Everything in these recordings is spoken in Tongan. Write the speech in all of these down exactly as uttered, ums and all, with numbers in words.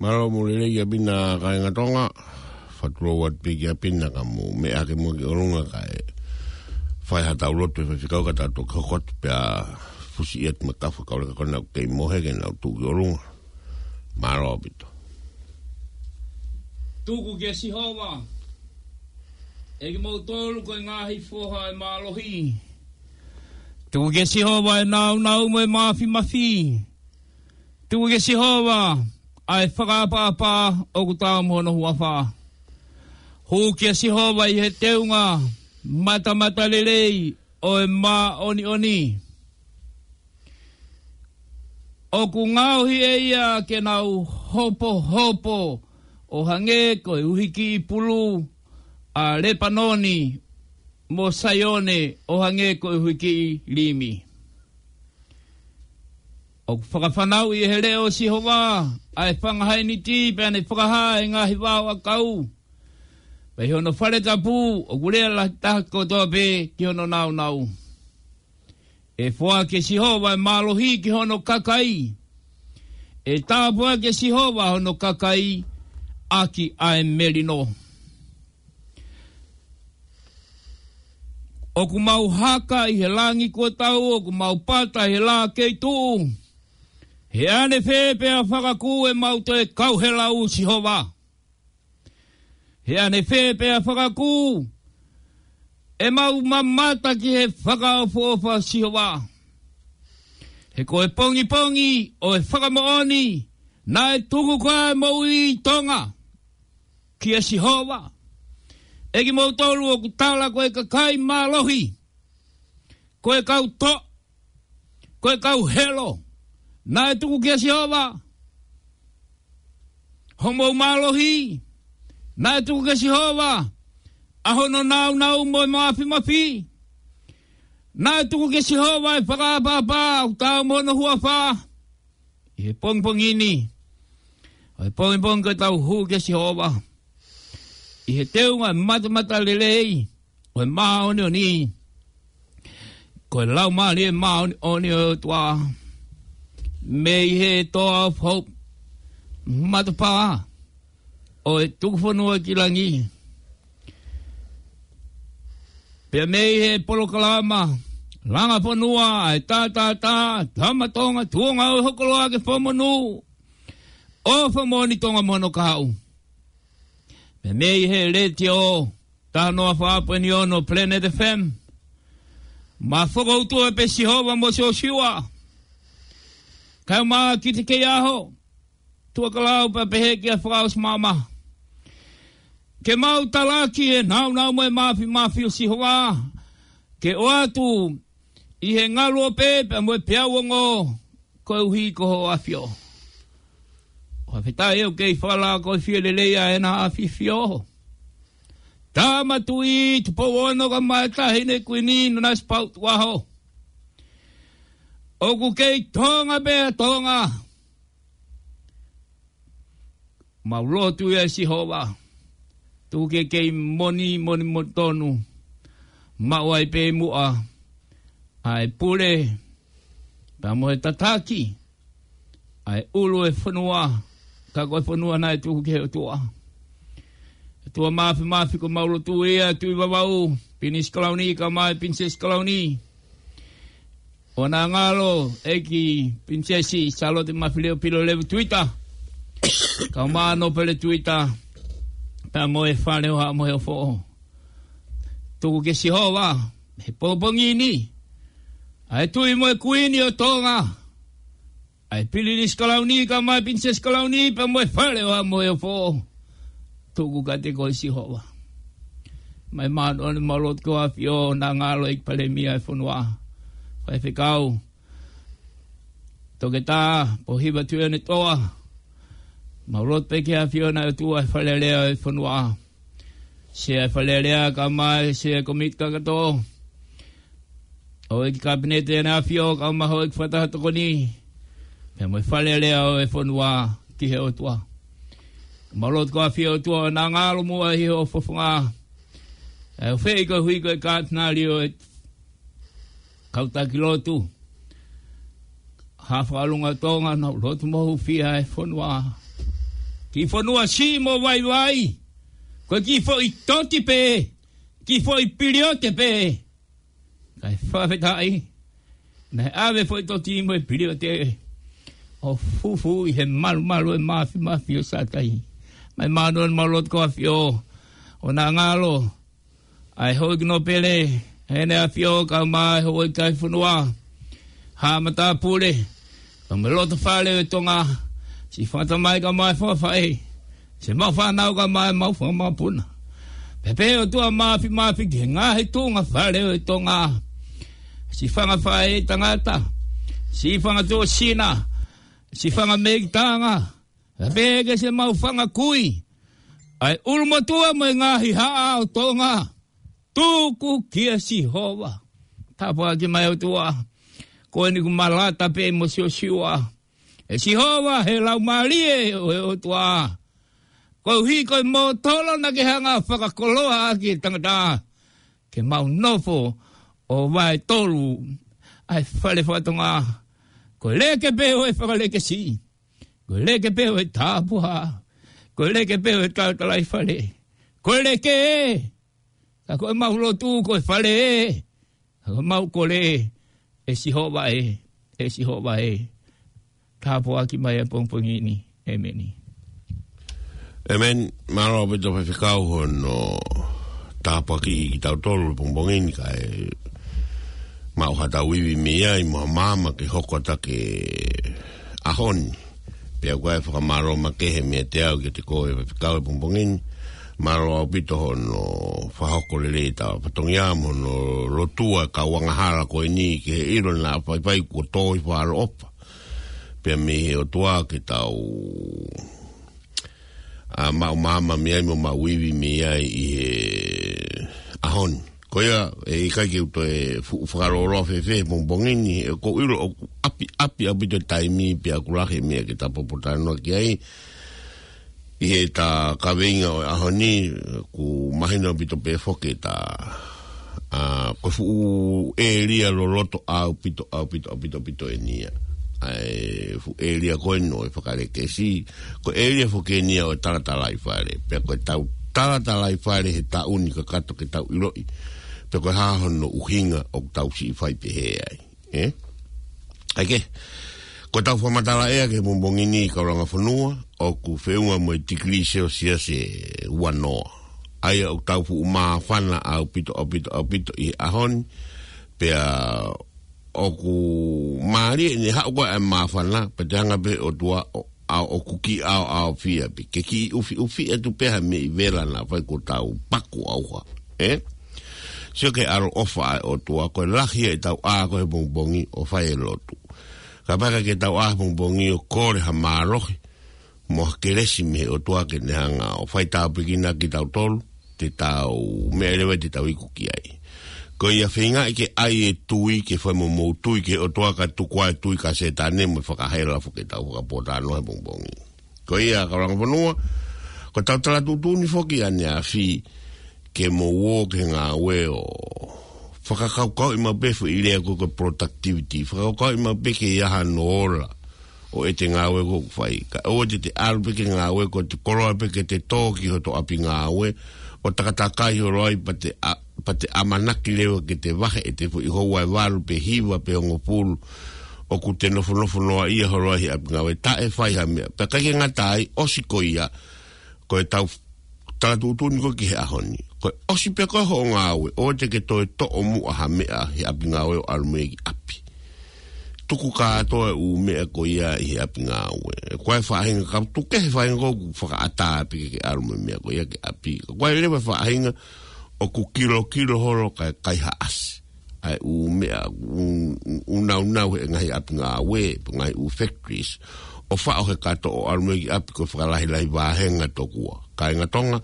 Mālō mo e lelei ʻa Pina kāinga Tonga. Fakatulou atu pē kia Pina ka mou meʻa hake muʻa ki ʻolunga kae fai haʻatau lotu ʻe faifekau ka tau toki hoko atu pea fusi atu mo e kau faifekau leka ko ena ʻoku kei mohe ke nau tuʻu ki ʻolunga. Mālō ʻaupito. Tuku kia Sihova, ʻe kimoutolu ko e ngaahi foha ʻo e mālohi. Tuku kia Sihova ʻa e nāunau mo e māfimafi. Tuku kia Sihova ʻa e fakaʻapaʻapa ʻoku taau mo hono huafa. Hū kia Sihova ʻi he teunga matamatalelei ʻo e māʻoniʻoni. ʻOku ngaohi ʻe ia ke nau hopohopo ʻo hangē ko e uhikiʻi pulu ʻa Lepanoni, mo Saione ʻo hangē ko e uhikiʻi limi. ʻOku fakafanauʻi ʻe he leʻo ʻo Sihova ʻa e fanga hainiti, pea ne fakahā ʻa e ngaahi vao ʻakau. Pea ʻi hono fale tapu ʻoku lea lahi taha kotoa pē ki hono nāunau. ʻE foaki ʻe Sihova ʻa e mālohi ki hono kakai. ʻE tāpuaki ʻe Sihova hono kakai ʻaki ʻa e melino. ʻOku mau haka ʻi he langi kuo tau, ʻoku mau pata ʻi he lā kei tuʻu. He ʻanefē pea fakakū ʻemau toe kau he lau ʻo Sihova? He ʻanefē pea fakakū ʻemau mamata ki he fakaʻofoʻofa ʻo Sihova? He ko e pongipongi ʻo e fakamoʻoni naʻe tuku ko ā ʻa e moʻui ʻi Tonga kia Sihova. ʻE kimoutolu ʻoku tala ko e kakai mālohi, ko e kau toʻa, ko e kau helo, naʻe tuku kia Sihova homou mālohi. Naʻe tuku kia Sihova ʻa hono nāunau mo e māfimafi. Naʻe tuku kia Sihova ʻa e fakaʻapaʻapa ʻoku taau mo hono huafa. ʻI he pongipongi ni, ʻa e pongipongi ko ʻetau hū kia Sihova ʻi he teunga matamatalelei ʻo e māʻoniʻoni, ko e Laumālie Māʻoniʻoni ʻo e ʻOtua, mei he Toa of Hope, matapā ʻo e tuku fonua ki langi. Pea mei he polokalama langa fonua ʻa e tātātā, Tama Tonga, tuonga ʻo e hokoloa ke fakamonū, ʻo fakamoʻoni Tonga mo hono kahaʻu. Pea mei he letiō, taha noa fā poini ono Planet F M. Ma fokoutua pē Sihova mo Siosiua. Kae ʻumaʻā Kitekeiaho, Tuʻakalau pea pehē kia Fakaʻosimama. Ke mau talaki e nāunau mo e māfimafi ʻo Sihova, ke ʻoatu ʻi he ngaluope pea mo e peau ongo, koeʻuhi ko hoʻo ʻAfio. ʻOku ou fakafetaʻi ʻoku kei fakalakoifie lelei ʻa ʻEna ʻAfifio. Tama Tuʻi Tupou Ono kae ʻumaʻā e Taʻahine Kuini Nanasipauʻu Tukuʻaho. ʻOku kei Tonga pē ʻa Tonga. Mau lotu ia Sihova. Tuku ke kei moʻoni, moʻoni, moʻoni tonu. Maʻu ai pē muʻa ʻa e pule, pea mo e tataki ʻa e ʻulu ʻo e fonua, ka ko e fonua naʻe tuku ki he ʻOtua. ʻOtua Māfimafi, ko ʻemau lotu ia, Tuʻi Vavaʻu, Pilinisi Kalauni, kae ʻumaʻā e Pilinisesi Kalauni. ʻO Nangalo, ʻEiki Pilinisesi Sālote Mafileʻo Pilolevu Tuita, kae ʻumaʻā Nōpele Tuita, pea mo e fale ʻo Haʻa Moheofo. Tuku kia Sihova he pongipongi ni ʻa e Tuʻi mo e Kuini ʻo Tonga, ʻa e Pilinisi Kalauni, kae ʻumaʻā e Pilinisesi Kalauni, pea mo e fale ʻo Haʻa Moheofo. Tuku kiate koe Sihova. Mai māʻoniʻoni, mau lotu ki ho ʻAfio, Nangalo, ʻEiki Palēmia ʻo e fonua, faifekau, Toketā Pōhiva Tuʻiʻonetoa. Mau lotu pē ki he ʻAfio na ʻOtua ʻi he Fale Alea ʻo e fonua. Sea ʻo e Fale Alea kae ʻumaʻā e Sea ʻo e Kōmiti Kakato. Houʻeiki Kapineti ʻEna ʻAfio kae ʻumaʻā houʻeiki fakataha tokoni, pea mo e Fale Alea ʻo e fonua ki he ʻOtua. Mau lotu ki ho ʻAfio ʻOtua, ʻo Nangalo muʻa ʻi hoʻo fofonga. ʻE ʻofeʻi koeʻuhi ko e Katinali ʻo e Kau Taki Lotu, Haʻa Fakalunga ʻo Tonga, nau lotu mo hūfia e fonua. Kiʻi fonua siʻi mo vaivai. Ko e kiʻi foʻi toti pē. Kiʻi foʻi piliote pē. Kae fakafetaʻi. Naʻe ʻave foʻi toti mo e piliote ʻo fufū ʻi he malumalu ʻo e māfimafi ʻo Sātai. Mai mānoa malu atu ko ʻAfio. ʻO na ngalo. ʻA e houʻeiki nōpele, ʻEne ʻAfio kae ʻumaʻā e houʻeiki ʻi he fonua. Haʻa matāpule, kae ʻumaʻā e loto fale ʻo e Tonga. Siʻi fakatamai kae ʻumaʻā e fakafaʻē. Siʻemau fānau kae ʻumaʻā ʻemau fanga mokopuna. Pea pehē ʻOtua māfimafi ki he ngaahi tuʻunga fale ʻo e Tonga. Siʻi fanga faʻē tangata. Siʻi fanga tuʻo sina. Siʻi fanga meʻitanga. Pea pehē ki siʻemau fanga kui. ʻA e ʻulumotuʻa mo e ngaahi haʻa ʻo Tonga. Tuku kia Sihova. Tāpuaki mai ʻOtua. Ko eni kuo malata pē mo Siosiua. ʻE Sihova he laumālie ʻo e ʻOtua. Koeʻuhi ko e mōtolo naʻa ke hanga fakakoloa ʻaki e tangata. Ke mau nofo ʻo vaetolu. ʻA e fale fakatonga. Ko e leke pē ʻo e fakalekesi. Ko e leke pē ʻo e tāpuhā. Ko e leke pē ʻo e talatalaifale. Ko e leke ē. Ka ko ʻemau lotu ko e fale ē. Ka ko ʻemau kole ē. ʻE Sihova ē. ʻE Sihova ē. Tāpuaki mai ʻa e pongipongi ni. ʻĒmeni. ʻĒmeni. Mālō ʻaupito Faifekau hono tāpuakiʻi kitautolu he pongipongi ni kae maʻu haʻatau ivi mei ai mo ha maama ke hoko atu ki he ʻaho ni. Pea ʻoku ou fakamālō makehe meiate au kiate koe Faifekau he pongipongi ni. Mālō ʻaupito hono fakahoko lelei ʻetau fatongia mo hono lotua e kau angahala ko eni ke ʻilo naʻa faifai kuo tō ʻi fāloʻofa. Pea mei he ʻOtua ke tau ʻa maʻu maama mei ai mo maʻu ivi mei ai ʻi he ʻaho ni. Ko ia, ʻe ʻikai ke u toe fuʻu fakalōloa fēfē he pongipongi ni, ʻoku ou ʻilo ʻoku ʻapiʻapi ʻaupito e taimi pea ʻoku lahi e meʻa ke ta popotalanoa ki ai. ʻI heʻeta kaveinga ʻo e ʻaho ni, ʻoku mahino ʻaupito pē foki ʻeta, ʻa, ko e fuʻu ʻēlia loloto ʻaupito, ʻaupito, ʻaupito, ʻaupito eni ia. ʻA e fuʻu ʻēlia ko eni ʻo e fakalekesi, ko e ʻēlia foki eni ia ʻo e talatalaifale. Pea ko ʻetau talatalaifale he taʻu ni kakato ke tau ʻiloʻi. Pea ko e hā hono ʻuhinga ʻoku tau siʻi fai pehē ai. Ē? ʻAi ke. Ko ʻetau fakamatala ʻea ki he pongipongi ni kau langa fonua, ʻoku feʻunga mo e tikilī Selsiasi ʻe uanoa. ʻA ia ʻoku tau fuʻu māfana ʻaupito, ʻaupito, ʻaupito ʻi he ʻaho ni. Pea ʻoku mālie ʻene haʻu ko ē ʻa e māfana, pea te hanga pē ʻOtua ʻo ʻa ʻoku kiʻi ʻaoʻaofia pē. Ke kiʻi ʻufiʻufi atu pē ha meʻi vela naʻa fai kuo tau paku ʻauha. Ē? Sio ki he ʻaloʻofa ʻa e ʻOtua, ko e lahi ʻetau ʻā ko ē he pongipongi ʻo fai e lotu. Kapau ʻikai ke tau ʻā he pongipongi ʻo kole ha mālohi, mo ha kelesi mei he ʻOtua ke ne hanga ʻo fai tāpuekina kitautolu, te tau meʻa leva te tau iku ki ai. Ko ia feingaʻi ke ʻai e tui, ke fai mo mou tui ki he ʻOtua kae tuku ʻa e tui ki he Sētane mo e fakahela foki ʻetau fakapōtalanoa he pongipongi. Ko ia kau langa fonua, ko ʻetau tala tuʻutuʻuni foki ʻaneafi ke mou ō ki he ngāue ʻo fakakaukauʻi maʻu pē foʻi lea ko ē ko e productivity. Fakakaukauʻi maʻu pē ke ʻi ai hano ola ʻo ʻete ngāue ko ē ʻoku fai. Kae ʻoua te te ʻalu pē ki he ngāue ko ʻete koloa pē ke te tō ki hoto ʻapi ngāue ʻo takatakai holo ai pea te ʻa-, pea te ʻamanaki leva ke te vahe ʻete foʻi houa ʻe valu pe hiva pe hongofulu ʻoku te nofonofo noaʻia holo ai he ʻapi ngāue taʻe fai ha meʻa. Pea ʻikai ke ngata ai, ʻosi ko ia, ko ʻetau tala tuʻutuʻuni ko ē ki he ʻaho ni. Ko e ʻosi pē ko ē hoʻo ngāue, ʻoua te ke toe toʻo muʻa ha meʻa he ʻapi ngāue ʻo ʻalu mei he ʻapi. Tuku kātoa e ʻū meʻa ko ia ʻi he ʻapi ngāue. Ko e faʻahinga ka tuku e faʻahinga ko ē ʻoku fakaʻatā pē ke ke ʻalu mo e meʻa ko ia ki ʻapi. Ko e leva e faʻahinga ʻoku kilokilo holo kae kaihaʻasi ʻa e ʻū meʻa, ʻū, ʻū naunau he ngaahi ʻapi ngāue, pe ngaahi ʻū factories. ʻO faʻo he kato ʻo ʻalu mei he ʻapi ko e fakalahilahi vāhenga tokua. Kāinga Tonga,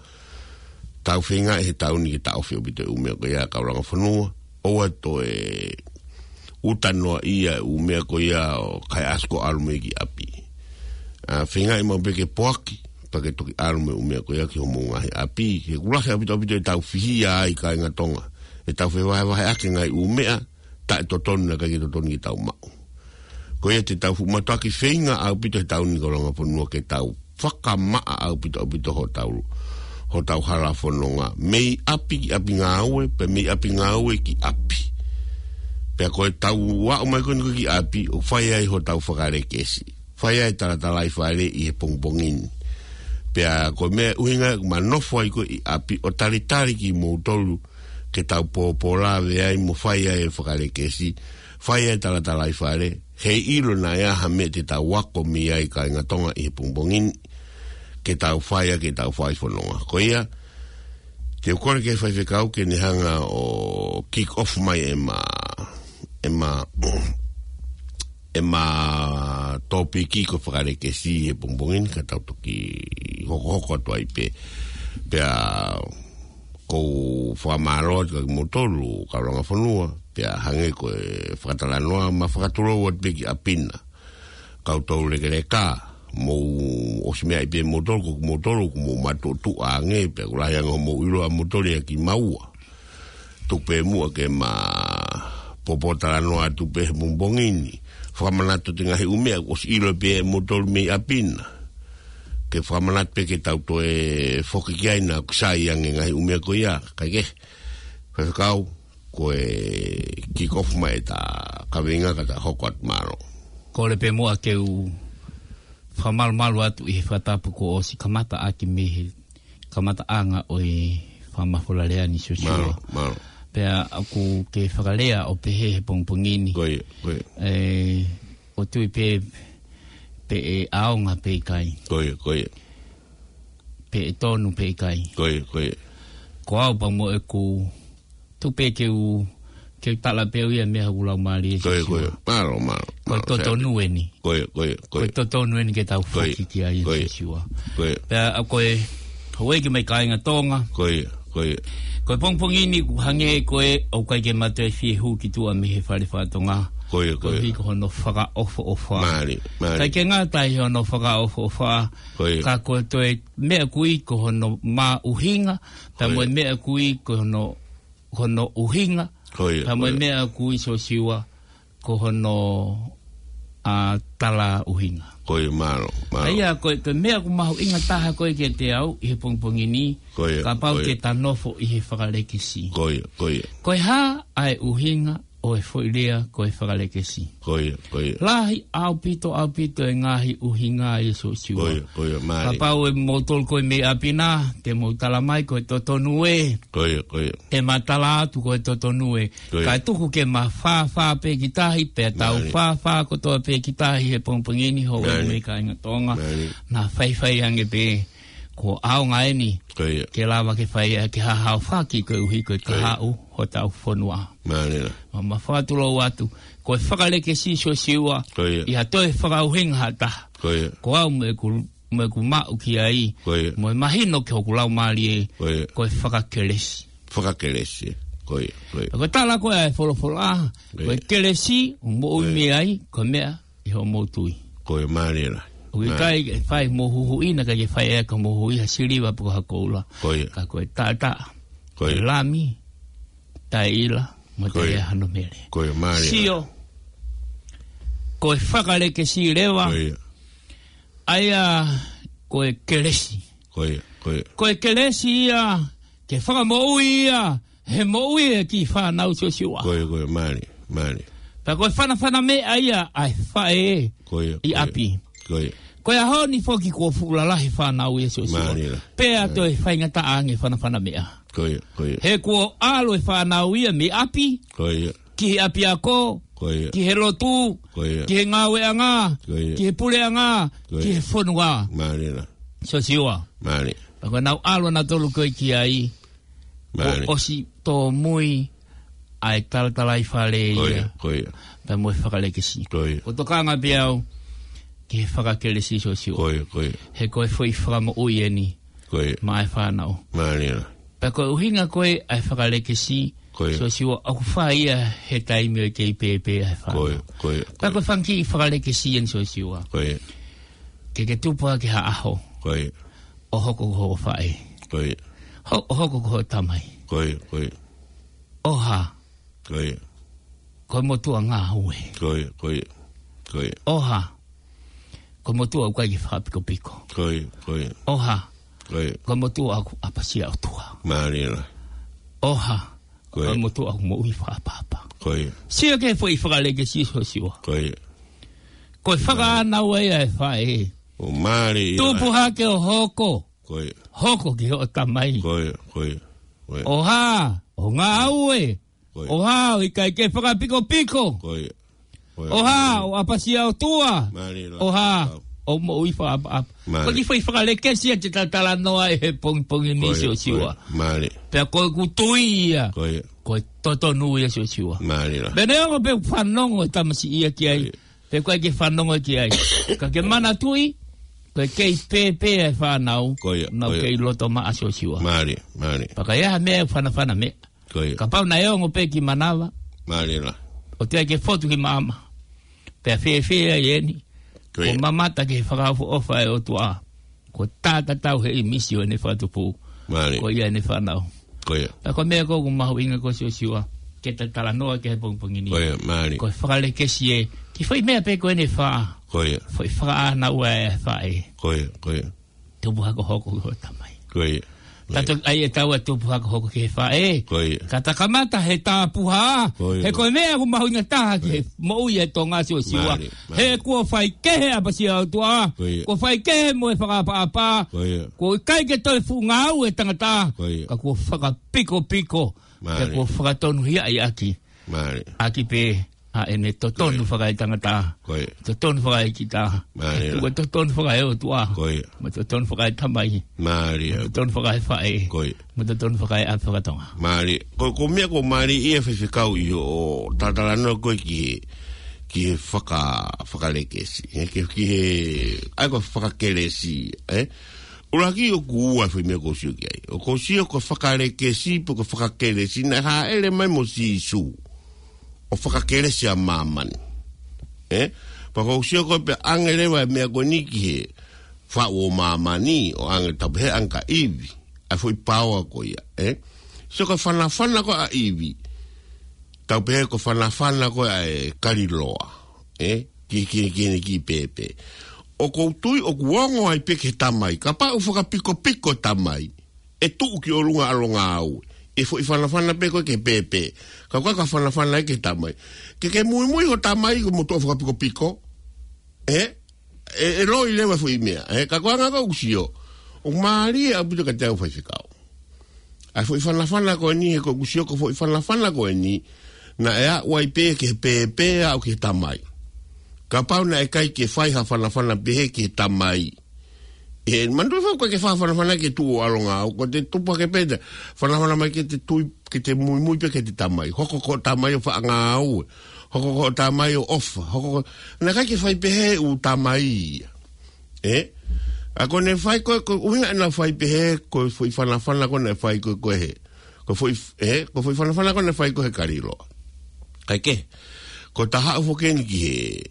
tau feingaʻi he taʻu ni ke taʻofi ʻaupito e ʻū meʻa ko ia kau langa fonua. ʻOua toe ʻuta noaʻia e ʻū meʻa ko ia ʻo kaihaʻasi ko ē ʻalu mei he ʻapi. ʻA, feingaʻi maʻu pē ke poaki, pea ke toki ʻalu mo e ʻū meʻa ko ia ki homou ngaahi ʻapi. He ʻoku lahi ʻaupito ʻaupito ʻetau fihia ai kāinga Tonga. ʻEtau fevahevaheʻaki e ngaahi ʻū meʻa, taʻetotonu naʻe ʻikai ke totonu ke tau maʻu. Ko ia te tau fuʻu mātuʻaki feinga ʻaupito he taʻu ni kau langa fonua ke tau fakamaʻa ʻaupito ʻaupito hotau, hotau hala fononga. Mei ʻapi ki ʻapi ngāue, pea mei ʻapi ngāue ki ʻapi. Pea ko e tau aʻu mai ko eni ko ē ki ʻapi, ʻo fai ai hotau fakalekesi. Fai ai talatalaifale ʻi he pongipongi ni. Pea ko e meʻa ʻuhinga ʻeku ma nofo ai ko ē ʻi ʻapi ʻo talitali kimoutolu ke tau pōpō lave ai mo fai ai e fakalekesi. Fai ai talatalaifale. Heiʻilo naʻe ʻi ai ha meʻa te tau ako mei ai kāinga Tonga ʻi he pongipongi ni. Ke tau fai ai, ke tau fai fononga. Ko ia, te u kole ki he faifekau ke ne hanga ʻo kick off mai ʻema, ʻema, ʻema tōpiki ko e fakalekesi he pongipongi ni ka tau toki hokohoko atu ai pē. Pea ʻoku ou fakamālō atu kia kimoutolu, kau langa fonua, pea hangē ko e fakatalanoa ma fakatulou atu pē ki ʻapi na. Kau tau lekeleka, mou ʻosi meaʻi pē moutolu, ko moutolu, ko mou matuʻotuʻa ange, pea ʻoku lahi ange hoʻomou ʻilo ʻa moutolu ia kimaua. Tuku pē muʻa ke ma pōpō talanoa atu pē he pongipongi ni. Fakamanatu atu e ngaahi ʻū meʻa, ʻosi ʻilo pē ʻe moutolu mei ʻapi na. Ke fakamanatu pē ke tau toe foki ki ai naʻa ku sai ange ngaahi ʻū meʻa ko ia, kae kehe. Faifekau, ko e kick off mai ʻeta kaveinga ka ta hoko atu, mālō. Kole pē muʻa ke u fakamalumalu atu ʻi he fakatapu kuo ʻosi kamata ʻaki mei he kamataʻanga ʻo e fakamafola lea ni Siosiua. Mālō, mālō. Pea ʻoku ke fakalea ʻo pehē he pongipongi ni. Ko ia, ko ia. ʻE, ʻoku ou tui pē, pe ʻe ʻaonga pe ʻikai. Ko ia, ko ia. Pe ʻe tonu pe ʻikai. Ko ia, ko ia. Ko au pea mo ʻeku, tuku pē ke u, ke u tala pē ʻe au ia meʻa ʻoku lau mālie Siosiua. Ko ia, ko ia. Mālō, mālō. Ko e totonu eni. Ko ia, ko ia, ko ia. Ko e totonu eni ke tau foki ki ai Siosiua. Ko ia. Pea ʻa ko e, houʻeiki mo e kāinga Tonga. Ko ia, ko ia. Ko e pongipongi ni ʻoku hangē ko ē ʻoku ʻikai ke ma toe fie hū ki tuʻa mei he fale fakatonga. Ko ia, ko ia. Koeʻuhi ko hono fakaʻofoʻofa. Mālie, mālie. ʻIkai ke ngata ʻi hono fakaʻofoʻofa. Ko ia. Ka ko e toe meʻa ʻoku ui ko hono maʻuhinga, pea mo e meʻa ʻoku ui ko hono, hono ʻuhinga, pea mo e meʻa ʻoku ui Siosiua ko hono, ʻa, tala ʻuhinga. Ko ia, mālō, mālō. ʻA ia, ko e, ko e meʻa ʻoku mahuʻinga taha ko ē kiate au ʻi he pongipongi ni, kapau te ta nofo ʻi he fakalekesi. Ko ia, ko ia. Ko e hā ʻa e ʻuhinga ʻo e foʻi lea ko e fakalekesi. Ko ia, ko ia. Lahi ʻaupito, ʻaupito e ngaahi ʻuhinga ʻa Siosiua. Ko ia, ko ia, mālie. Kapau ʻe moutolu ko ē mei ʻapi na, te mou tala mai ko e totonu ē. Ko ia, ko ia. ʻE ma tala atu ko e totonu ē. Ko ia. Kae tuku ke ma fāfā pē ki tahi, pea tau fāfā kotoa pē ki tahi he pongipongi ni houʻeiki mo e kāinga Tonga. Mālie. Naʻa faifai ange pē, kuo ʻaonga eni. Ko ia. Ke lava ke fai ʻa e ke hahaofaki koeʻuhi ko e kahaʻu hotau fonua. Mālie. Ma, ma fakatulou atu, ko e fakalekesi Siosiua, ʻi ha toe fakaʻuhinga ha taha. Ko ia. Ko au mo ʻeku, mo ʻeku maʻu ki ai, mo e mahino ki hoku laumālie, ko e fakakelesi. Fakakelesi. Ko ia, ko ia. Ko e tala ko ē ʻa e folofola, ko e kelesi, ʻoku moʻui mei ai, ko e meʻa ʻi hoʻomou tui. Ko ia, mālie lahi. ʻOku ʻikai ke fai mo huhuʻi na ka ke fai ʻe ia ka mo huhuʻi ha siliva pe ko ha koula. Ko ia. Ka ko e taʻataʻa. Ko ia. Lami, taʻeʻila, mo taʻehano mele. Ko ia, mālie lahi. Sio, ko e fakalekesi leva. Ko ia. ʻA ia, ko e kelesi. Ko ia, ko ia. Ko e kelesi ia, ke fakamoʻui ia, he moʻui e kiʻi fānau Siosiua. Ko ia, ko ia, mālie, mālie. Pea ko e fanafana meʻa ia ʻa e faʻē ʻi ʻapi. Ko ia. Ko e ʻaho ni foki kuo fuʻu lalahi fānau ia Siosiua. Mālie lahi. Pea toe faingataʻa ange fanafana meʻa. Ko ia, ko ia. He kuo ʻalu e fānau ia mei ʻapi. Ko ia. Ki he ʻapiako. Ko ia. Ki he lotu. Ko ia. Ki he ngāueʻanga. Ko ia. Ki he puleʻanga. Ko ia. Ki he fonua. Mālie lahi. Siosiua. Mālie. Pea ko ʻenau ʻalu ʻanautolu ko ē ki ai. Mālie. ʻO ʻosi tōmui ʻa e talatalaifale ia. Ko ia, ko ia. Pea mo e fakalekesi. Ko ia. ʻOku ou tokanga pē au ki he fakakelesi Siosiua. Ko ia, ko ia. He ko e foʻi fakamoʻui eni. Ko ia. Maʻa e fānau. Mālie lahi. Pea ko e ʻuhinga ko ē ʻa e fakalekesi Siosiua ʻoku fai ia he taimi ʻoku kei pēpē ʻa e fānau. Ko ia, ko ia. Pea ko e fanga kiʻi fakalekesi eni Siosiua. Ko ia. Ke ke tupu hake ha ʻaho. Ko ia. ʻO hoko ko ho faʻē. Ko ia. Ho-, ʻo hoko ko ho tamai. Ko ia, ko ia. ʻO hā. Ko ia. Ko e motuʻa ngāue. Ko ia, ko ia. Ko ia. ʻO hā. ko e motuʻa ʻoku ʻikai ke fakapikopiko. Ko ia, ko ia. ʻOha, ko ia. Ko e motuʻa ʻoku ʻapasia ʻOtua. Mālie lahi. ʻOha, ko ia. Ko e motuʻa ʻoku moʻui fakaʻapaʻapa. Ko ia. Sio ki he foʻi fakalēkesi ʻo Siosiua. Ko ia. Ko e fakaʻānaua ia ʻa e faʻē. ʻO mālie ia. Tupu hake ʻo hoko. Ko ia. Hoko ki hoʻo tamai. Ko ia, ko ia, ko ia. ʻOha, ʻo ngāue. Ko ia. ʻOha, ʻo ʻikai ke fakapikopiko. Ko ia. Ko ia. ʻOha, ʻo ʻapasia ʻOtua. Mālie lahi. ʻOha, ʻo moʻui fakaʻapaʻapa. Mālie. Ko e kiʻi foʻi fakalēkesi ia te ta talanoa ai he pongipongi ni, ko ia, Siosiua. Ko ia. Mālie. Pea ko ʻeku tui ia. Ko ia. Ko e totonu ia, Siosiua. Mālie lahi. Pea neongo pē ʻoku fanongo e tamasiʻi ia ki ai. Ko ia. Pe ʻoku ʻikai ke fanongo ki ai. Ka ke manatuʻi, ko e kei pēpē ʻa e fānau. Ko ia, naʻa nau, ko ia, kei loto maʻa, Siosiua. Mālie, mālie. Pea ka ʻi ai ha meʻa ʻe fanafana meʻa. Ko ia. Kapau naʻe ongo pē ki manava. Mālie lahi. ʻOku teʻeki ke fotu ki maama. Pea fēfē ai eni. Ko ia. Kuo mamata ki he fakaʻofoʻofa ʻa e ʻOtua. Kuo tātatau he ʻīmisi ʻo ʻene fakatupu. Mālie. Ko ia ʻene fānau. Ko ia. Pea ko e meʻa ʻoku mahuʻinga ko ē, Siosiua, ke ta talanoa ki ai he pongipongi ni. Ko ia, mālie. Ko e fakalēkesi ē, kiʻi foʻi meʻa pē ko eni ʻe fā. Ko ia. Foʻi fakaʻānaua ʻa e faʻē. Ko ia, ko ia. Tupu hake ʻo hoko ki hoʻo tamai. Ko ia. Ko ia. Tato ai e tau a tupu hake ʻo hoko ki he faʻē. Ko ia. Ka ta kamata he tapuhā. Ko ia. He ko e meʻa ʻoku mahuʻinga taha ki he, ko ia, moʻui ʻa e Tonga, Siosiua. Mālie, mālie. He kuo faikehe ʻa e ʻapasia ʻOtua. Ko ia. Kuo faikehe mo e fakaʻapaʻapa. Ko ia. Kuo ʻikai ke toe fuʻu ngāue e tangata. Ko ia. Ka kuo fakapikopiko. Mālie. Pea kuo fakatonuhiaʻi ʻaki. Mālie. ʻAki pē ʻa ʻene totonu, ko ia, fakaetangata. Ko ia. Totonu fakaekita. Mālie. He kuo totonu fakaeʻOtua. Ko ia. Mo e totonu fakaetamai. Mālie. Mo e totonu fakaefaʻē. Ko ia. Mo e totonu fakaeʻapi fakatonga. Mālie. Ko, ko e meʻa ʻoku mālie ia, Faifekau, ʻi hoʻo talatalanoa ko ē ki he, ki he faka-, fakalēkesi. He ki, ki he, ʻa ia ko e fakakelesi, ē? ʻUluaki ʻoku ua e foʻi meʻa ʻoku ou sio ki ai. ʻOku ou sio ko e fakalēkesi pe ko e fakakelesi naʻe hāʻele mai mo Sīsū. ʻO fakakelesi ʻa māmani. Ē? Pea ʻoku ou sio ko ē pē ʻoange leva e meʻa ko eni ki he faʻu ʻo māmani, ʻo ʻoange, tau pehē, ʻoange kia ʻIvi. ʻA e foʻi paoa ko ia, ē? Sio ko e fanafana ko ē ʻa ʻIvi. Tau pehē ko e fanafana ko ē ʻa e kaliloa. Ē? Ki, ki, ki heʻene kiʻi pēpē. ʻOku ou tui ʻoku ongo ai pē ki he tamai. Kapau ʻoku fakapikopiko e tamai, ʻe tuʻu ki ʻolunga ʻalongāue. ʻE foʻi fanafana pē ko ē ki he pēpē. Ka ko e ka fanafana ki he tamai. Ke ke muimui hoʻo tamai ko e motuʻa fakapikopiko. Ē? ʻE, ʻe loi leva e foʻi meʻa. Ē? Ka ko e anga ko ē ʻoku sio. ʻOku mālie ʻaupito kiate au, Faifekau. ʻA e foʻi fanafana ko eni, he ʻoku ou sio ko e foʻi fanafana ko eni naʻe aʻu ai pē ki he pēpē aʻu ki he tamai. Kapau naʻe ʻikai ke fai ha fanafana pehē ki he tamai. Ē, manatuʻi foki, ʻikai ke fai ha fanafana ke tuʻu ʻo ʻalongāue, ko e tupu hake pē, fanafana mai ke te tui, ke te muimui pē ki he tamai. Hoko ko e tamai ʻo faʻa ngāue. Hoko ko e tamai ʻo ʻofa. Hoko ko e, naʻe ʻikai ke fai pehē ʻū tamai ia. Ē? ʻA ko ʻene fai ko ē, ko e ʻuhinga naʻa nau fai pehē, ko e foʻi fanafana ko ē naʻe fai ko ē, ko e hē. Ko e foʻi, ē? Ko e foʻi fanafana ko ē naʻe fai ko ē he kaliloa. Kae kehe, ko e taha ʻoku foki eni ki he,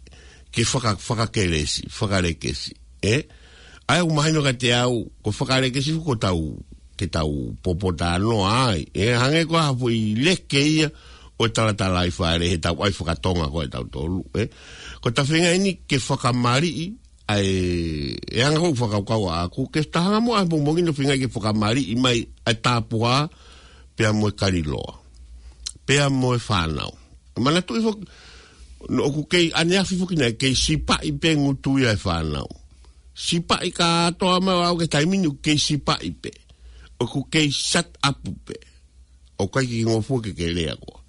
ki he faka-, fakakelesi, fakalēkesi. Ē? ʻA ia ʻoku mahino kiate au, ko e fakalēkesi ko ē tau, ke tau popotalanoa ai. Ē, hangē ko ha foʻi leke ia ʻo e talatalaifale heʻetau ʻai fakatonga ko ē ʻa tautolu, ē? Ko ʻeta feinga eni ke fakamaliʻi ʻa e, e anga ko ē ʻoku fakakaukau ʻaʻaku, ke ta hanga muʻa he pongipongi ni ʻo feinga ke fakamaliʻi mai ʻa e tapuhā, pea mo e kaliloa. Pea mo e fānau. Manatuʻi foki, naʻa ʻoku kei ʻaneafi foki naʻe kei sipaʻi pē ngutu ia ʻa e fānau. Sipaʻi kātoa mai ʻo aʻu ki he taimi ni ʻoku kei sipaʻi pē. ʻOku kei shut up pē. ʻOku ʻikai ke ngofua ke ke lea koā.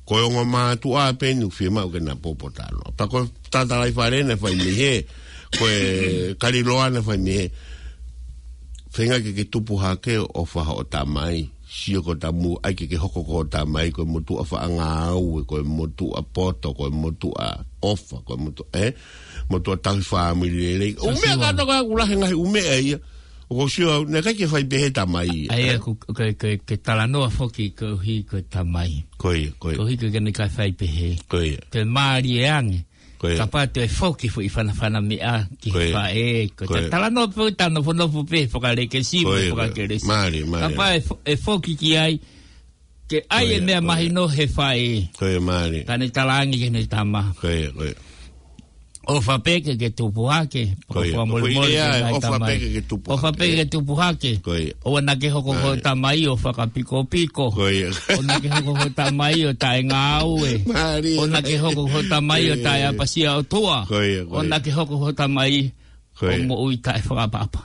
Ko e ongo mātuʻa pē eni ʻoku fiemaʻu ke na popotalanoa. Pea ko e talatalaifale naʻe fai mei hē. Ko e kaliloa naʻe fai mei hē. Feinga ke ke tupu hake ʻo ʻofa hoʻo tamai. Sio ko e tamu ai ke ke hoko ko hoʻo tamai, ko e motuʻa faʻa ngāue, ko e motuʻa poto, ko e motuʻa ʻofa, ko e motuʻa, ē? Motuʻa tauhi fāmili lelei. ʻŪ meʻa kātoa ʻoku lahi e ngaahi ʻū meʻa ia. ʻOku ou sio au, naʻe ʻikai ke fai pehē tamai. ʻA ia, ē? Ko, ko, ko, ke talanoa foki koeʻuhi ko e tamai. Ko ia, ko ia. Koeʻuhi ko ʻene ʻikai fai pehē. Ko ia. Ke mālie ange. Ko ia. Kapau te foki foʻi fanafana meʻa ki he faʻē. Ko ia. Ko ia. Talanoa pē, talanoa nofonofo pē, fakalēkesi, ko ia, ko ia, fakakelesi. Mālie, mālie. Kapau ʻe fo-, ʻe foki ki ai, ke ʻai e meʻa mahino he faʻē. Ko ia, mālie. Ka ne talaange ki heʻene tama. Ko ia, ko ia. ʻOfa pē ke ke tupu hake. Ko ia. Fakamolemole ki he ngaahi tamai. ʻOfa pē ke ke tupu hake. ʻOua naʻa ke hoko ko e tamai ʻo fakapikopiko. Ko ia. ʻOua naʻa ke hoko ko e tamai ʻo taʻengāue. ʻOua naʻa ke hoko ko e tamai ʻo taʻeʻapasia ʻOtua. ʻOua naʻa ke hoko ko e tamai ʻo moʻui taʻefakaʻapaʻapa.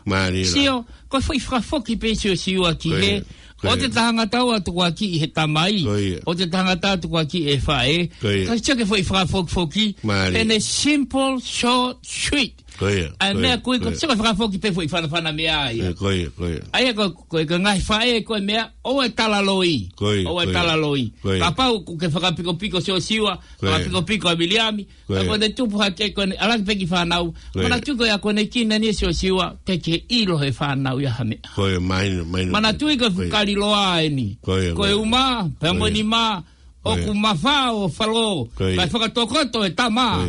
Sio, ko e foʻi fakafoki pē Siosiua ki he ʻoua te tangata ʻo tukuakiʻi he tamai. ʻOua te tangata ʻo tukuakiʻi he faʻē. Ka sio ki he foʻi fakafokifoki. In a simple, short, sweet. ʻA e meʻa ko ē, ko e sio ki he fakafoki pē foʻi fanafana meʻa ia. ʻA ia ko e, ko e ngaahi faʻē ko e meʻa, ʻoua ʻe tala loi. ʻOua ʻe tala loi. Kapau ʻoku ke fakapikopiko Siosiua, fakapikopiko ʻa Viliami, ka ko ʻene tupu hake ko ʻene ʻalu hake pē ki he fānau. Manatuʻi ko e ako ʻene kina ni Siosiua, te ke ʻilo he fānau ia ha meʻa. Manatuʻi ko e fuʻu kaliloa eni. Ko e uma, pea mo e nima, ʻoku mafao falo, kae fakatokoto e tama.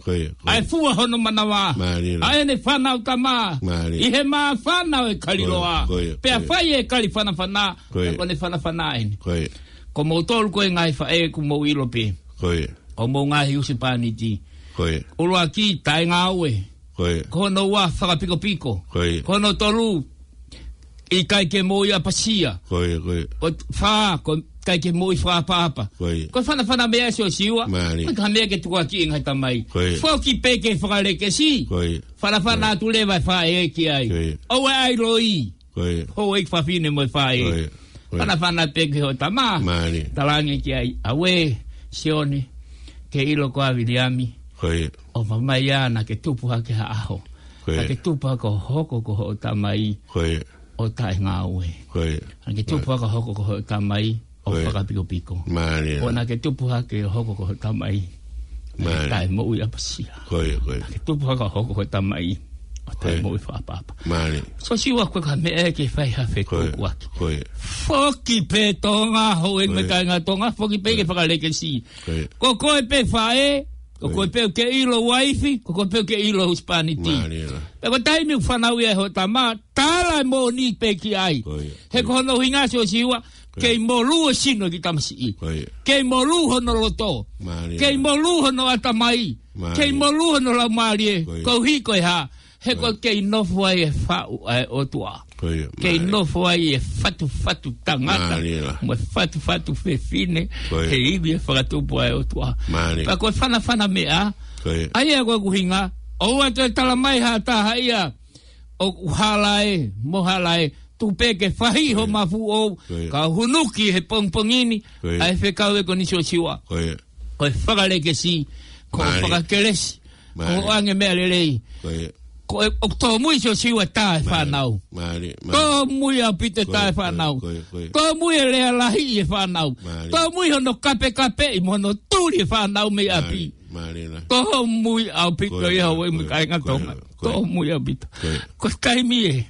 ʻA e fua hono manava. ʻA ʻene fānau tama. ʻI he māfana ʻo e kaliloa. Pea fai e kali fanafana, ko ʻene fanafana eni. Ko moutolu ko e ngaahi faʻē ʻoku mou ʻilo pē. Ko ia. Ko homou ngaahi husepāniti. Ko ia. ʻUluaki, taʻengāue. Ko ia. Ko hono ua, fakapikopiko. Ko ia. Ko hono tolu, ʻikai ke moʻui ʻapasia. Ko ia, ko ia. Ko e fā, ko e ʻikai ke moʻui fakaʻapaʻapa. Ko ia. Ko e fanafana meʻa Siosiua. Mālie. Ko e ka meʻa ke tukuakiʻi e ngaahi tamai. Ko ia. Foki pē ki he fakalekesi. Ko ia. Fanafana atu leva e faʻē ki ai. Ko ia. ʻOua ʻe ʻai loi. Ko ia. Houʻeiki fafine mo e faʻē. Ko ia. Ko ia. Fanafana pē ki hoʻo tama. Mālie. Talaange ki ai, ʻauē, Sione, ke ʻilo ko ā Viliami. Ko ia. ʻOfa mai ā naʻa ke tupu hake ha ʻaho. Ko ia. Naʻa ke tupu hake ʻo hoko ko hoʻo tamai. Ko ia. ʻO taʻengāue. Ko ia. Naʻa ke tupu hake ʻo hoko ko hoʻo tamai ʻo fakapikopiko. Mālie. ʻOua naʻa ke tupu hake ʻo hoko ko hoʻo tamai ʻo taʻemoʻui ʻapasia. Ko ia, ko ia. Naʻa ke tupu hake ʻo hoko ko hoʻo tamai ʻo taʻemoʻui fakaʻapaʻapa. Mālie. Siosiua, ko e ka meʻa ke fai ha fetōkuaki. Ko ia. Foki pē Tonga, houʻeiki mo e kāinga Tonga, foki pē ki he fakalekesi. Ko ia. Ko koe pē faʻē, ko koe pē ʻoku ke ʻilo uaifi, ko koe pē ʻoku ke ʻilo husepāniti. Mālie. Pea ko e taimi ʻoku fanauʻi ai hoʻo tama, tala e moʻoni pē ki ai. Ko ia. He ko hono ʻuhinga Siosiua, kei molū e sino ʻo e kiʻi tamasiʻi. Ko ia. Kei molū hono loto. Mālie. Kei molū hono ʻatamai. Mālie. Kei molū hono laumālie. Ko ia. Koeʻuhi ko e hā? He ko e kei nofo ai e faʻu ʻa e ʻOtua. Ko ia. Kei nofo ai e fatufatu tangata. Mālie. Mo e fatufatu fefine. Ko ia. He ivi e fakatupu ʻa e ʻOtua. Mālie. Pea ko e fanafana meʻa. Ko ia. ʻA ia ko e ʻuhinga, ʻoua te tala mai ha taha ia ʻoku hala ē, mo hala ē, tuku pē ke fahi ho mafu ʻou, ka hunuki he pongipongi ni, ʻa e fekau ē ko eni Siosiua. Ko e fakalekesi, ko e fakakelesi, ko e ʻoange meʻa lelei. Ko e ʻoku tōmui Siosiua e tā e fānau. Tōmui ʻaupito e tā e fānau. Tōmui e lea lahi ʻi he fānau. Tōmui hono kapekapeʻi mo hono tuli e fānau mei ʻapi. Tōmui ʻaupito ia, houʻeiki mo e kāinga Tonga. Tōmui ʻaupito. Ko e taimi ē.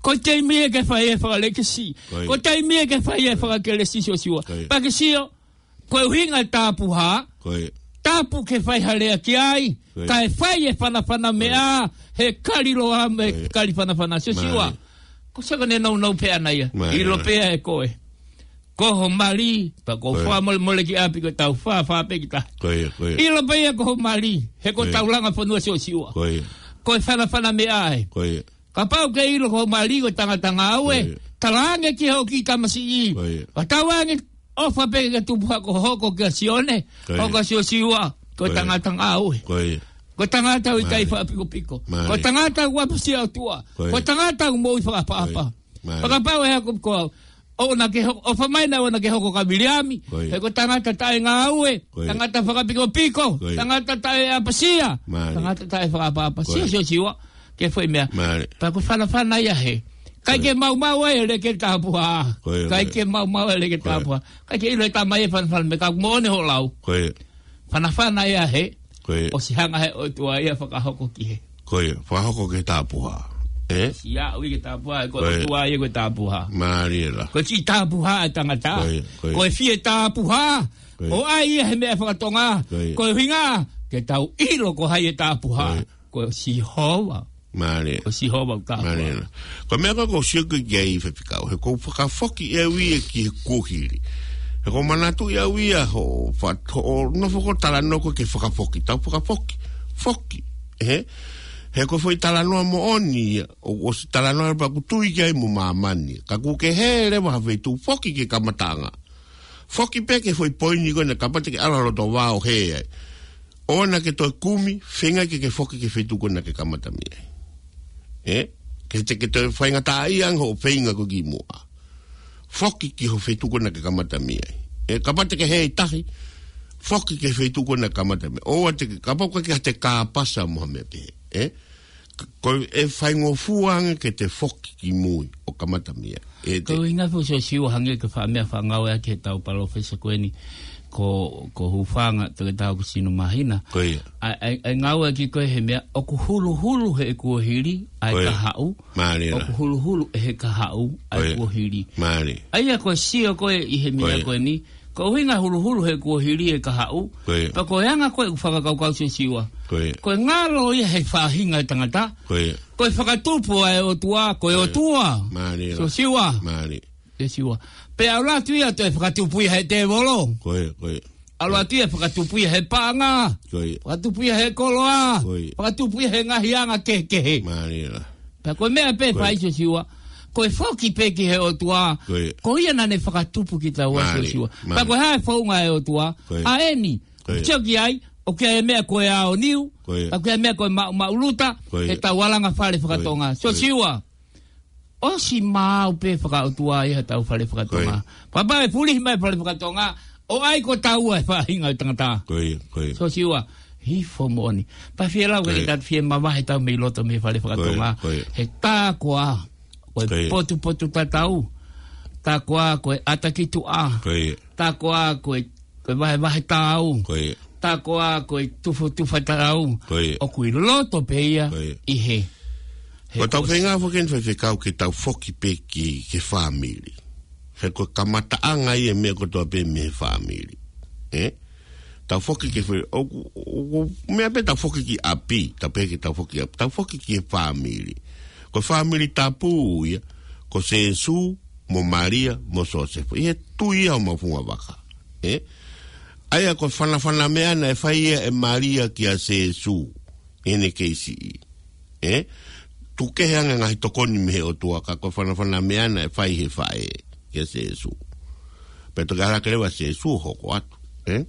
Ko e taimi ē ke fai e fakalekesi. Ko e taimi ē ke fai e fakakelesi Siosiua. Pea ke sio, ko e ʻuhinga e tapuhā. Tapu ke fai ha lea ki ai. Kae fai e fanafana meʻa. He kaliloa mo e kali fanafana Siosiua. Ko e sio ko ʻene nounou pē ʻana ia. ʻIlo pē ʻe koe. Ko ho mali, pea ko e fakamolemole ki ʻapi ko e tau fā, fā pē ki tahi. ʻIlo pē ia ko ho mali, he ko e tau langa fonua Siosiua. Ko e fanafana meʻa ē. Kapau ke ʻilo ko ho mali ko e tangata ngāue, talaange ki hoʻo kiʻi tamasiʻi. Ka tau ange ʻofa pē ke tupu hake ʻo hoko kia Sione, hoko kia Siosiua, ko e tangata ngāue. Ko e tangata ʻoku ʻikai fakapikopiko. Ko e tangata ʻoku ʻapasia ʻOtua. Ko e tangata ʻoku moʻui fakaʻapaʻapa. Fakapapauʻi ʻe au ko au. ʻOua naʻa ke hoko, ʻofa mai naʻa ʻoua naʻa ke hoko ko ā Viliami. He ko e tangata taʻengāue, tangata fakapikopiko, tangata taʻeʻapasia, tangata taʻefakaʻapaʻapa. Sio, Siosiua, ke foʻi meʻa. Pea ko e fanafana ia he. ʻIkai ke maumau ai e leke tapuhā. ʻIkai ke maumau ai e leke tapuhā. ʻIkai ke ʻilo e tamai e fanafana meʻa ka moʻoni hoʻo lau. Fanafana ia he. ʻOsi hanga he ʻOtua ia fakahoko ki he. Fakahoko ki he tapuhā. ʻE? ʻOsi aʻu ia ki he tapuhā, ko e ʻOtua ia ko e tapuhā. Mālie lā. Ko e fie tapuhā e tangata. Ko e fie tapuhā. ʻO ʻai ia he meʻa faka-Tonga. Ko e ʻuhinga, ke tau ʻilo ko hai e tapuhā. Ko Sihova. Mālie. Ko Sihova ʻoku tapuhā. Mālie lā. Ko e meʻa ko ē ʻoku ou sio ki ai Faifekau, he ʻoku ou fakafoki ʻe au ia ki he kuohili. He ʻoku ou manatuʻi ʻe au ia hoʻo fa-, hoʻo nofo ko ē talanoa ko ē ki he fakafoki. Tau fakafoki. foki, ē? He ko e foʻi talanoa moʻoni ia, ʻo, ʻosi talanoa pea ʻoku tui ki ai mo māmani. Ka kuo ke hē leva ha feituʻu, foki ki he kamataʻanga. Foki pē ki he foʻi poini ko ena, kapau te ke ʻalu loto vao hē ai. ʻOua naʻa ke toe kumi, feinga ke ke foki ki he feituʻu ko ena naʻa ke kamata mei ai. Ē? Ke te ke toe faingataʻaʻia ange hoʻo feinga ko ē ki muʻa. Foki ki he feituʻu ko ena naʻa ke kamata mei ai. Ē, kapau te ke hē ʻi tahi, foki ki he feituʻu ko ena naʻa ke kamata mei ai. ʻOua te ke, kapau ko e ke te kāpasa mo ha meʻa pehē. Ē? Ko e faingofua ange ke te foki ki mui ʻo kamata mei ai. Ē, te- Ko e ʻuhinga foki Siosiua hangē ko e faʻa meʻa faʻa ngāueʻaki ʻe he tau palōfesa ko eni, ko, ko Hufanga, Toketā Hokosino Māhina. Ko ia. ʻA, ʻa, ʻa e ngāueʻaki ko ē he meʻa, ʻoku huluhulu he kuohili ʻa e Ko ia. kahaʻu. Mālie lā. ʻOku huluhulu ʻe he kahaʻu ʻa e Ko ia. kuohili. Mālie. ʻA ia ko e sio ko ē ʻi he meʻa Ko ia. ko eni, ko e ʻuhinga huluhulu he kuohili e kahaʻu. Ko ia. Pea ko e anga ko ē ʻeku fakakaukau Siosiua. Ko ia. Ko e ngalo ia he faʻahinga ʻo e tangata. Ko ia. Ko e fakatupu ʻa e ʻOtua, ko e Ko ia. ʻOtua. Mālie lā. Siosiua. Mālie. Siosiua. Pea ʻalu atu ia toe fakatupu ia he tēvolo. Ko ia, ko ia. ʻAlu atu ia fakatupu ia he paʻanga. Ko ia. Fakatupu ia he koloa. Ko ia. Fakatupu ia he ngaahi anga kehekehe. Mālie lā. Pea ko e meʻa pē Ko ia. fai Siosiua. Ko e foki pē ki he ʻOtua. Ko ia. Ko ia naʻa ne fakatupu kitaua Mālie. Siosiua. Mālie. Pea ko e hā e founga ʻa e ʻOtua. Ko ia. ʻA eni. Ko ia. Sio ki ai, ʻoku ʻi ai e meʻa ko e aoniu, Ko ia. ʻoku ʻi ai e meʻa ko e maʻu, maʻuluta, Ko ia. he tau alanga fale Ko ia. fakatonga. Ko ia. Siosiua, ʻosi maau pē fakaʻotua ia he tau fale fakatonga. Ko ia. Pea pau ʻe fulihi mai fale fakatonga, ʻo ʻai ko taua e faʻahinga ʻo e tangata. Ko ia, ko ia. Siosiua, hifo moʻoni. Pea fie lau Ko ia. ke ta fie mavahe tau mei loto mei fale Ko ia, fakatonga. ko ia. He tā koā, ko e Ko ia. potupotu tatau. Tā koā, ko e ʻata ki tuʻa. Ko ia. Tā koā, ko e, ko e vahevahe tāu. Ko ia. Tā koā, ko e tufotufa tāu. Ko ia. ʻOku ʻi loto pē ia Ko ia. ʻi he. He Ko tau ʻosi. feinga foki eni faifekau ke tau foki pē ki, ki he fāmili. He ko e kamataʻanga ia e meʻa kotoa pē mei he fāmili. Ē? Tau foki ki he fē-, ʻoku, ʻoku, meʻa pē tau foki ki ʻapi, tau pehē ke tau foki ʻapi, tau foki ki he fāmili. Ko e fāmili tapu ia, ko Sēsū, mo Malia, mo Sosefo. ʻI he tui ia ʻo mau funga vaka. Ē? ʻA ia ko e fanafana meʻa naʻe fai ia ʻe Malia kia Sēsū, ʻi heʻene kei siʻi. Ē? Tuku kehe ange ngaahi tokoni mei he ʻOtua ka ko e fanafana meʻa naʻe fai he faʻē kia Sēsū. Pea toki ʻalu hake leva Sēsū ʻo hoko atu. Ē?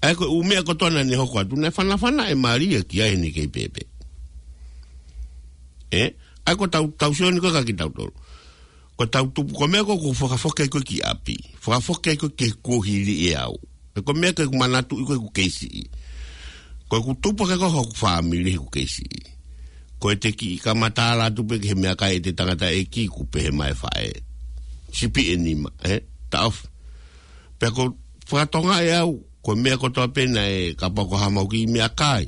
ʻA ia ko e ʻū meʻa kotoa naʻa ne hoko atu, naʻe fanafana ʻe Malia ki ai heʻene kei pēpē. Ē? ʻA ia ko tau, tau sio ni ko ka kitautolu. Ko tau tupu, ko e meʻa ko ē ʻoku fakafoki ai koe ki ʻapi. Fakafoki ai koe ki he kuohili ʻe au. He ko e meʻa ke u manatuʻi ko ē ʻeku kei siʻi. Ko ʻeku tupu hake ko ē hoku fāmili ʻeku kei siʻi. Ko ʻete kiʻi kamata ala atu pē ki he meʻakai ʻete tangataʻeiki kuo pehē mai faʻē. Sipi ʻe nima, ē? Taʻofi. Pea ko e fakatonga ʻe au, ko e meʻa kotoa pē naʻe kapau ko ha mau kiʻi meʻakai.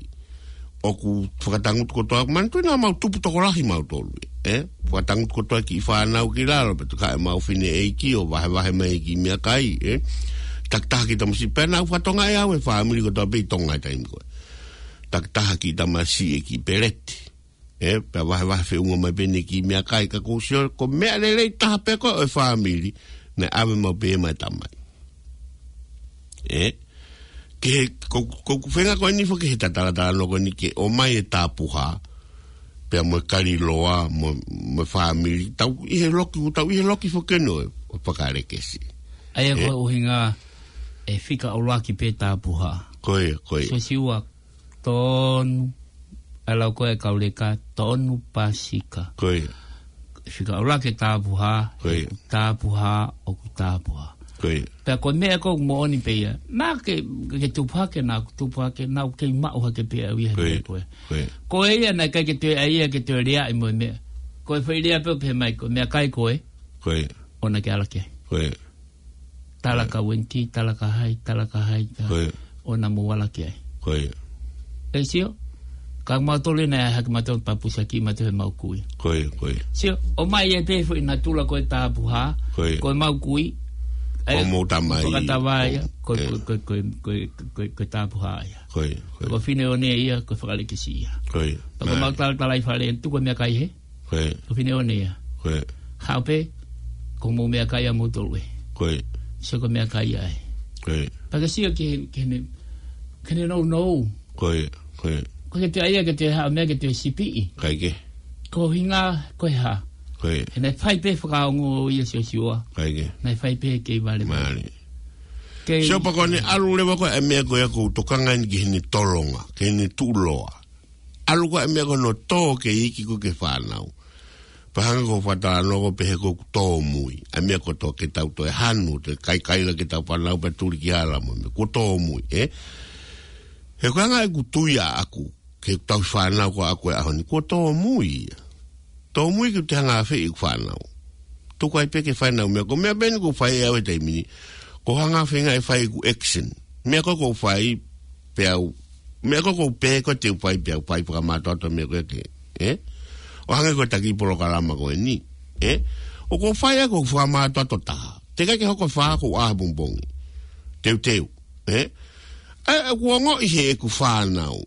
ʻOku fakatangutu kotoa, manatuʻi naʻa mau tupu tokolahi mautolu, ē? Fakatangutu kotoa kiʻi fānau ki lalo, pea toki haʻu e mau fineʻeiki ʻo vahevahe mai kiʻi meʻakai, ē? Takitaha kiʻi tamasiʻi pē naʻa ku fakatonga ʻe au e fāmili kotoa pē ʻi Tonga he taimi ko ē. Takitaha kiʻi tamasiʻi e kiʻi peleti. Ē, pea vahevahe feʻunga mai pē ʻene kiʻi meʻakai ka ʻoku ou sio, ko e meʻa lelei taha pē ko ē ʻo e fāmili, naʻe ʻave maʻu pē ia maʻa e tamai. Ē, ke he, ko, ko, ko e feinga ko eni foki he tatalatalanoa ko eni ke ʻomai e tāpuhā, pea mo e kaliloa, mo, mo e fāmili, tau ʻi he loki, tau ʻi he loki foki eni ʻo e, ʻo e fakalekesi. ʻA ia Ē. ko e ʻuhinga ʻe fika ʻuluaki pē tāpuhā. Ko ia, ko ia. Siosiua, tonu, ʻa e lau ko ē kau leka, tonu pāsika. Ko ia. Fika ʻuluaki e tāpuhā, Ko ia. he tāpuhā, ʻoku tāpuhā. Ko ia. Pea ko e meʻa ko ē moʻoni pē ia. Naʻa ke, ke tupu hake, naʻa ku tupu hake, naʻa ku kei maʻu hake pē au ia he Ko ia. meʻa ko ē. Ko ia. Ko ia naʻe ʻikai ke toe ʻai ia ke toe leaʻi mo e meʻa. Ko e foʻi lea pē ʻoku pehē mai ko e meʻakai ko ē. Ko ia. ʻOua naʻa ke ala ki ai. Ko ia. Tala Ko ia. ka wenki, tala ka hai, tala ka hai, ka Ko ia. ʻoua naʻa mou ala ki ai. Ko ia. ʻE sio, ka mautolu ena ʻe hake mautolu papusa ki mautolu he mau kui. Ko ia, ko ia. Sio, ʻomai e pē foʻi natula ko e tāpuhā, Ko ia. ko e mau kui. Ko ʻe, mou tamai. fakatava ia, Ko, ko, ē. ko, ko, ko, ko, ko, ko e tāpuhā ia. Ko ia, ko ia. Ko e fineʻone ia, ko e fakalekesi ia. Ko ia. Ko e Mālie. mau talatalai fale, tuku e meʻakai hē. Ko ia. Ko e fineʻone ia. Ko ia. Haʻu pē, ko hoʻomou meʻakai ʻa moutolu ē. Ko ia. Sio ko e meʻakai ia ē. Ko ia. Pea ke sio ki he, ki heʻene, ki heʻene nounou. Ko ia, ko ia. Ko ke te ʻai ia ke te haʻu meʻa ke te sipiʻi. ʻIkai ke. Ko hinga ko e hā. Ko e. He naʻe fai pē fakaongo ia Siosiua. ʻIkai ke. Naʻe fai pē kei vale. Mālie. Kei. Sio pea ko ʻene ʻalu leva ko e meʻa ko ia ʻoku ou tokanga eni ki heʻene tolonga, ki heʻene tuʻuloa. ʻAlu ko e meʻa ko hono tō ke iiki ko e fānau. Pea hangē ko e fakatalanoa ko e pehē ko ʻoku tōmui. ʻA e meʻa ko e tō ke tau toe hanu, toe kaikaila ke tau fānau pea tuli ki hala mo e meʻa. Kuo tōmui, ē? He ko e anga ʻeku tui ʻaʻaku, ke tau fānau ko ʻaʻaku he ʻaho ni, kuo tōmui ia. Tōmui ke te hanga ʻo feʻi ʻeku fānau. Tuku ai pē ke fai ʻenau meʻa, ko e meʻa pē eni ʻoku ou fai ʻe au he taimi ni. Ko e hanga ʻo feinga ʻe fai ʻeku action. Meʻa ko ē ʻoku ou fai, pea u. Meʻa ko ē ʻoku ou pehē ko ē te u fai, pea u fai fakamātoato meʻa ko ē ke. Ē? ʻO hangē ko e taki polokalama ko eni. Ē? ʻOku ou fai ʻa ʻeku fakamātoato taha. Teʻeki ke hoko e fā ʻoku ou ʻā he pongipongi. Teuteu. Ē? ʻE, ʻoku ou ongoʻi heʻeku fānau.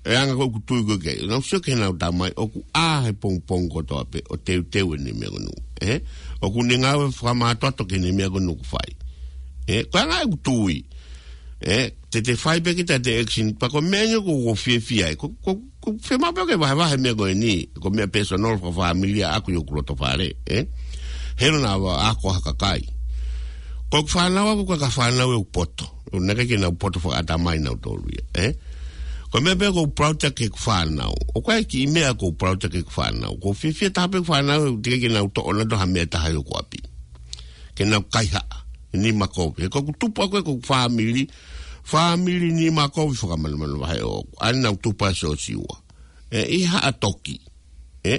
ʻE anga ko ʻeku tui ko ē ke. Nau sio ki heʻenau tamai, ʻoku ʻā he pongipongi kotoa pē, ʻo teuteu ʻene meʻa ko eni. Ē? ʻOku ne ngāue fakamātoato ki heʻene meʻa ko eni ʻoku fai. Ē? Ko e anga ʻeku tui. Ē? Te te fai pē kita ʻete action, pea ko e meʻa eni ʻoku ou fiefia ai. Ko, ko, ko e fiemaʻu pē ke vahevahe meʻa ko eni. Ko e meʻa personal fakafāmili ʻaʻaku ʻi hoku loto fale. Ē? He ʻoku ʻikai ke u ako ha kakai. Ko ʻeku fānau ʻaʻaku ko e kau fānau ʻoku poto. ʻOku ʻikai ke nau poto fakaʻatamai nautolu ia, ē? Ko e meʻa pē ʻoku ou proud ki heʻeku fānau. ʻOku ʻi ai e kiʻi meʻa ʻoku ou proud ki heʻeku fānau. ʻOku ou fiefia taha pē ʻeku fānau, teʻeki ke nau toʻo nautolu ha meʻa ʻe taha ʻi hoku ʻapi. Ke nau kaihaʻa, nima kovi. He ko ʻeku tupu ʻaʻaku ʻi heʻeku fāmili, fāmili nima kovi fakamanumanu vahe ʻoʻoku. ʻA ē naʻa nau tupu ai Siosiua. Ē, ʻi Haʻatoki. Ē?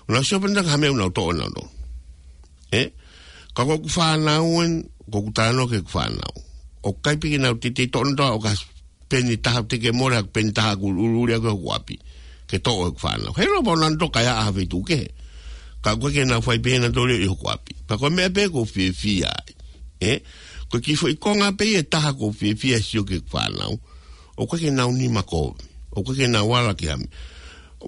ʻOku nau sio pē nautolu ki ha meʻa ʻoku nau toʻo nautolu. Ē? Ka ko ʻeku fānau eni, ko ʻeku talanoa ki heʻeku fānau. ʻOku ʻikai pē ke nau teitei toʻo nautolu ʻo ka peni taha, teʻeki ke mole ha peni taha ʻoku ʻuliʻuli ʻaʻaku ʻi hoku ʻapi. Ke toʻo ʻeku fānau. He ʻiloa pē ʻoku nau toka ʻi ha feituʻu kehe. Ka ʻoku ʻikai ke nau fai pē nautolu ia ʻi hoku ʻapi. Pea ko e meʻa pē ʻoku ou fiefia ai. Ē? Ko e kiʻi foʻi konga pē ia ʻe taha ʻoku ou fiefia sio ki heʻeku fānau. ʻOku ʻikai ke nau nima kovi. ʻOku ʻikai ke nau ala ki ha meʻa.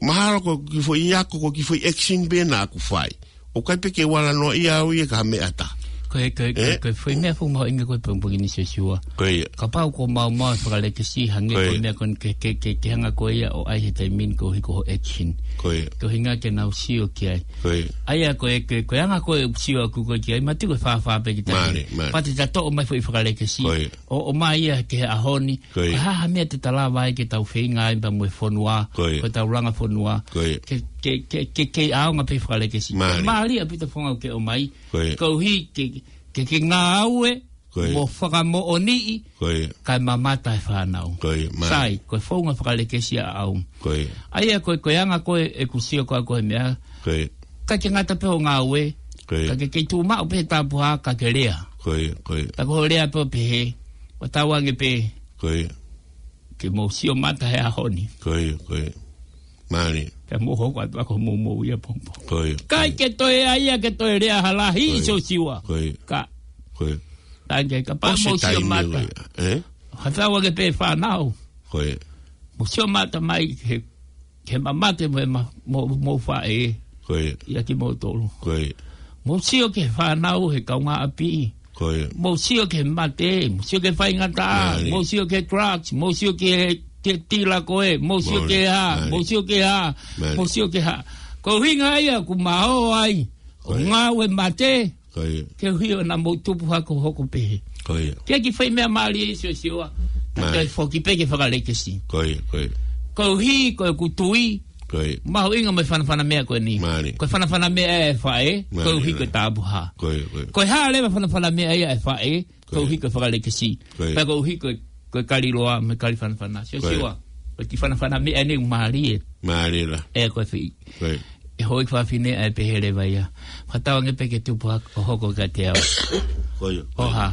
Mahalo ko e kiʻi foʻi ako, ko e kiʻi foʻi action pē naʻa ku fai. ʻOku ʻikai pē ke u ala noaʻia au ia ki ha meʻa ʻe taha. Ko e, ko e, ko e, Ē? ko e foʻi meʻa fuʻu mahuʻinga ko e pongipongi ni Siosiua. Ko ia. Kapau ʻoku maumau e fakalekesi, hangē Ko ko e ia. meʻa ko eni ke, ke, ke, ke hanga ko ia ʻo ʻai he taimi ni koeʻuhi ko hoʻo action. Ko ia. Ko e ʻuhinga ke nau sio ki ai. Ko ia. ʻA ia ko e, ko e, ko e anga ko ē ʻeku sio ʻaʻaku ko ē ki ai, mātuʻaki ko e fāfā pē kita Mālie, he. mālie. Pea te ta toʻo mai foʻi fakalekesi. Ko ia. ʻO, ʻomai ia ki he ʻaho ni. Ko ia. Ko e hā ha meʻa te ta lava ai ke tau feinga ai pea mo e fonua, Ko ia. ko ʻetau langa fonua. Ko ia. Ke, ke, ke, ke, ke ʻaonga pē fakalekesi. Mālie. Mālie ʻaupito e founga ʻoku ke ʻomai. Ko ia. Koeʻuhi ke, ke, ke ngāue, Ko ia. mo fakamoʻoniʻi, Ko ia. kae mamata e fānau. Ko ia, mālie. Sai, ko e founga fakalekesi ʻaʻau. Ko ia. ʻA ia ko e, ko e anga ko ē ʻeku sio ko ē ko e meʻa. Ko ia. ʻIkai ke ngata pē hoʻo ngāue. Ko ia. Ka ke kei tuʻu maʻu pē he tapuhā ka ke lea. Ko ia, ko ia. Ka ko hoʻo lea pē ʻo pehē, ʻo tauange pē. Ko ia. Ke mou sio mata he ʻaho ni. Ko ia, ko ia. Mālie. Pea mou hoko atu ʻaki hoʻomou moʻui ʻapongipongi. Ko ia. ʻIkai ke toe ʻai ia ke toe lea ha lahi Ko ia. Siosiua. Ko ia. Ka. Ko ia. Tangi kapau ʻOsi mou sio taimi mata. ko ia. Ē? Ka tauange pē fānau. Ko ia. Mou sio mata mai he ke mamate mo e ma-, mo, mo faʻē. Ko ia. ʻIa kimoutolu. Ko ia. Mou sio ki he fānau he kaungāʻapi. Ko ia. Mou sio ki he mate, mou sio ki he faingataʻa, Mālie. mou sio ki he drugs, mou sio ki he, ki he tila ko ē, mou sio Mālie. ki he hā, Mālie. mou sio ki he hā, Mālie. mou sio ki he hā. Ko e ʻuhinga ia ʻoku ma ō ai, Ko ʻo ia. ngāue mate, Ko ia. koeʻuhi ʻoku nau mou tupu hake ʻo hoko pehē. Ko ia. Ke kiʻi foʻi meʻa mālie Siosiua, ta Mālie. toe foki pē ki he fakalekesi. Ko ia, ko ia. Koeʻuhi, ko ʻeku tui, Ko ia. mahuʻinga mo e fanafana meʻa ko eni. Mālie. Ko e fanafana meʻa ʻa e faʻē, Mālie. koeʻuhi ko e tapuhā. Ko ia, ko ia. Ko e hā leva e fanafana meʻa ia ʻa e faʻē, Ko ia. koeʻuhi ko e fakalekesi. Ko ia. Pea koeʻuhi ko e, ko e kali loa mo e kali fanafana. Siosiua, Ko ia. ko e kiʻi fanafana meʻa eni ʻoku mālie. Mālie lahi. ʻE ko e fī. Ko ia. ʻE hoi fafine ʻa e pehē leva ia. Fakatauange pē ke tupu hake ʻo hoko kiate au. Ko ia, ko ia. ʻO hā,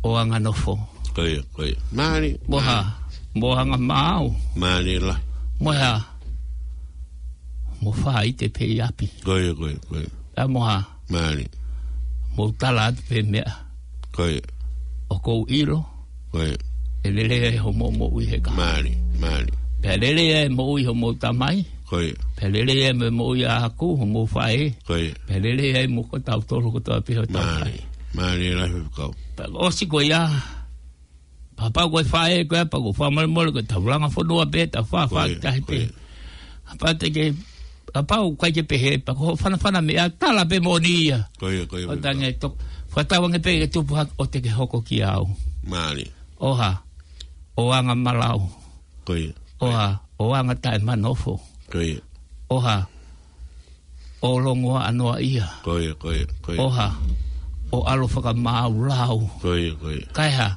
ʻo anganofo. Ko ia, ko ia. Mālie, Mo hā, mālie. mo anga maau. Mālie lahi. Mo hā, mo faʻite pē ʻi ʻapi. Ko ia, ko ia, ko ia. Pea mo hā, Mālie. mo tala atu pē meʻa. Ko ia. ʻOku ou ʻilo. Ko ia. ʻE lelei ai hoʻomou moʻui he kahaʻu. Mālie, mālie. Pea lelei ai e moʻui hoʻomou tamai. Ko ia. Pea lelei ai mo e moʻui ʻaʻaku, hoʻomou faʻē. Ko ia. Pea lelei ai mo kitautolu kotoa pē hoʻo tamai. Mālie. Mālie lahi e kau. Pea ʻosi ko ia. Kapau ko e faʻē ko ē, pea ko e fakamolemole ko e taulanga fonua pē, tau fā fā Ko ia, ki tahi ko pē. ia. Kapau te ke, kapau ʻoku ʻikai ke pehē, pea ko e fanafana meʻa, tala pē moʻoni ia. Ko ia, ko ia, ʻO ko ia. tange to, fakatauange pē ke tupu hake ʻo te ke hoko kia au. Mālie. ʻOha, ʻo anga malau. Ko ia. ʻOha, ʻo anga taʻemanofo. Ko ia. ʻOha, ʻo longoaʻa noaʻia. Ko ia, ko ia, ko ia. ʻOha, ʻo ʻalu fakamāulau. Ko ia, ko ia. Kae hā,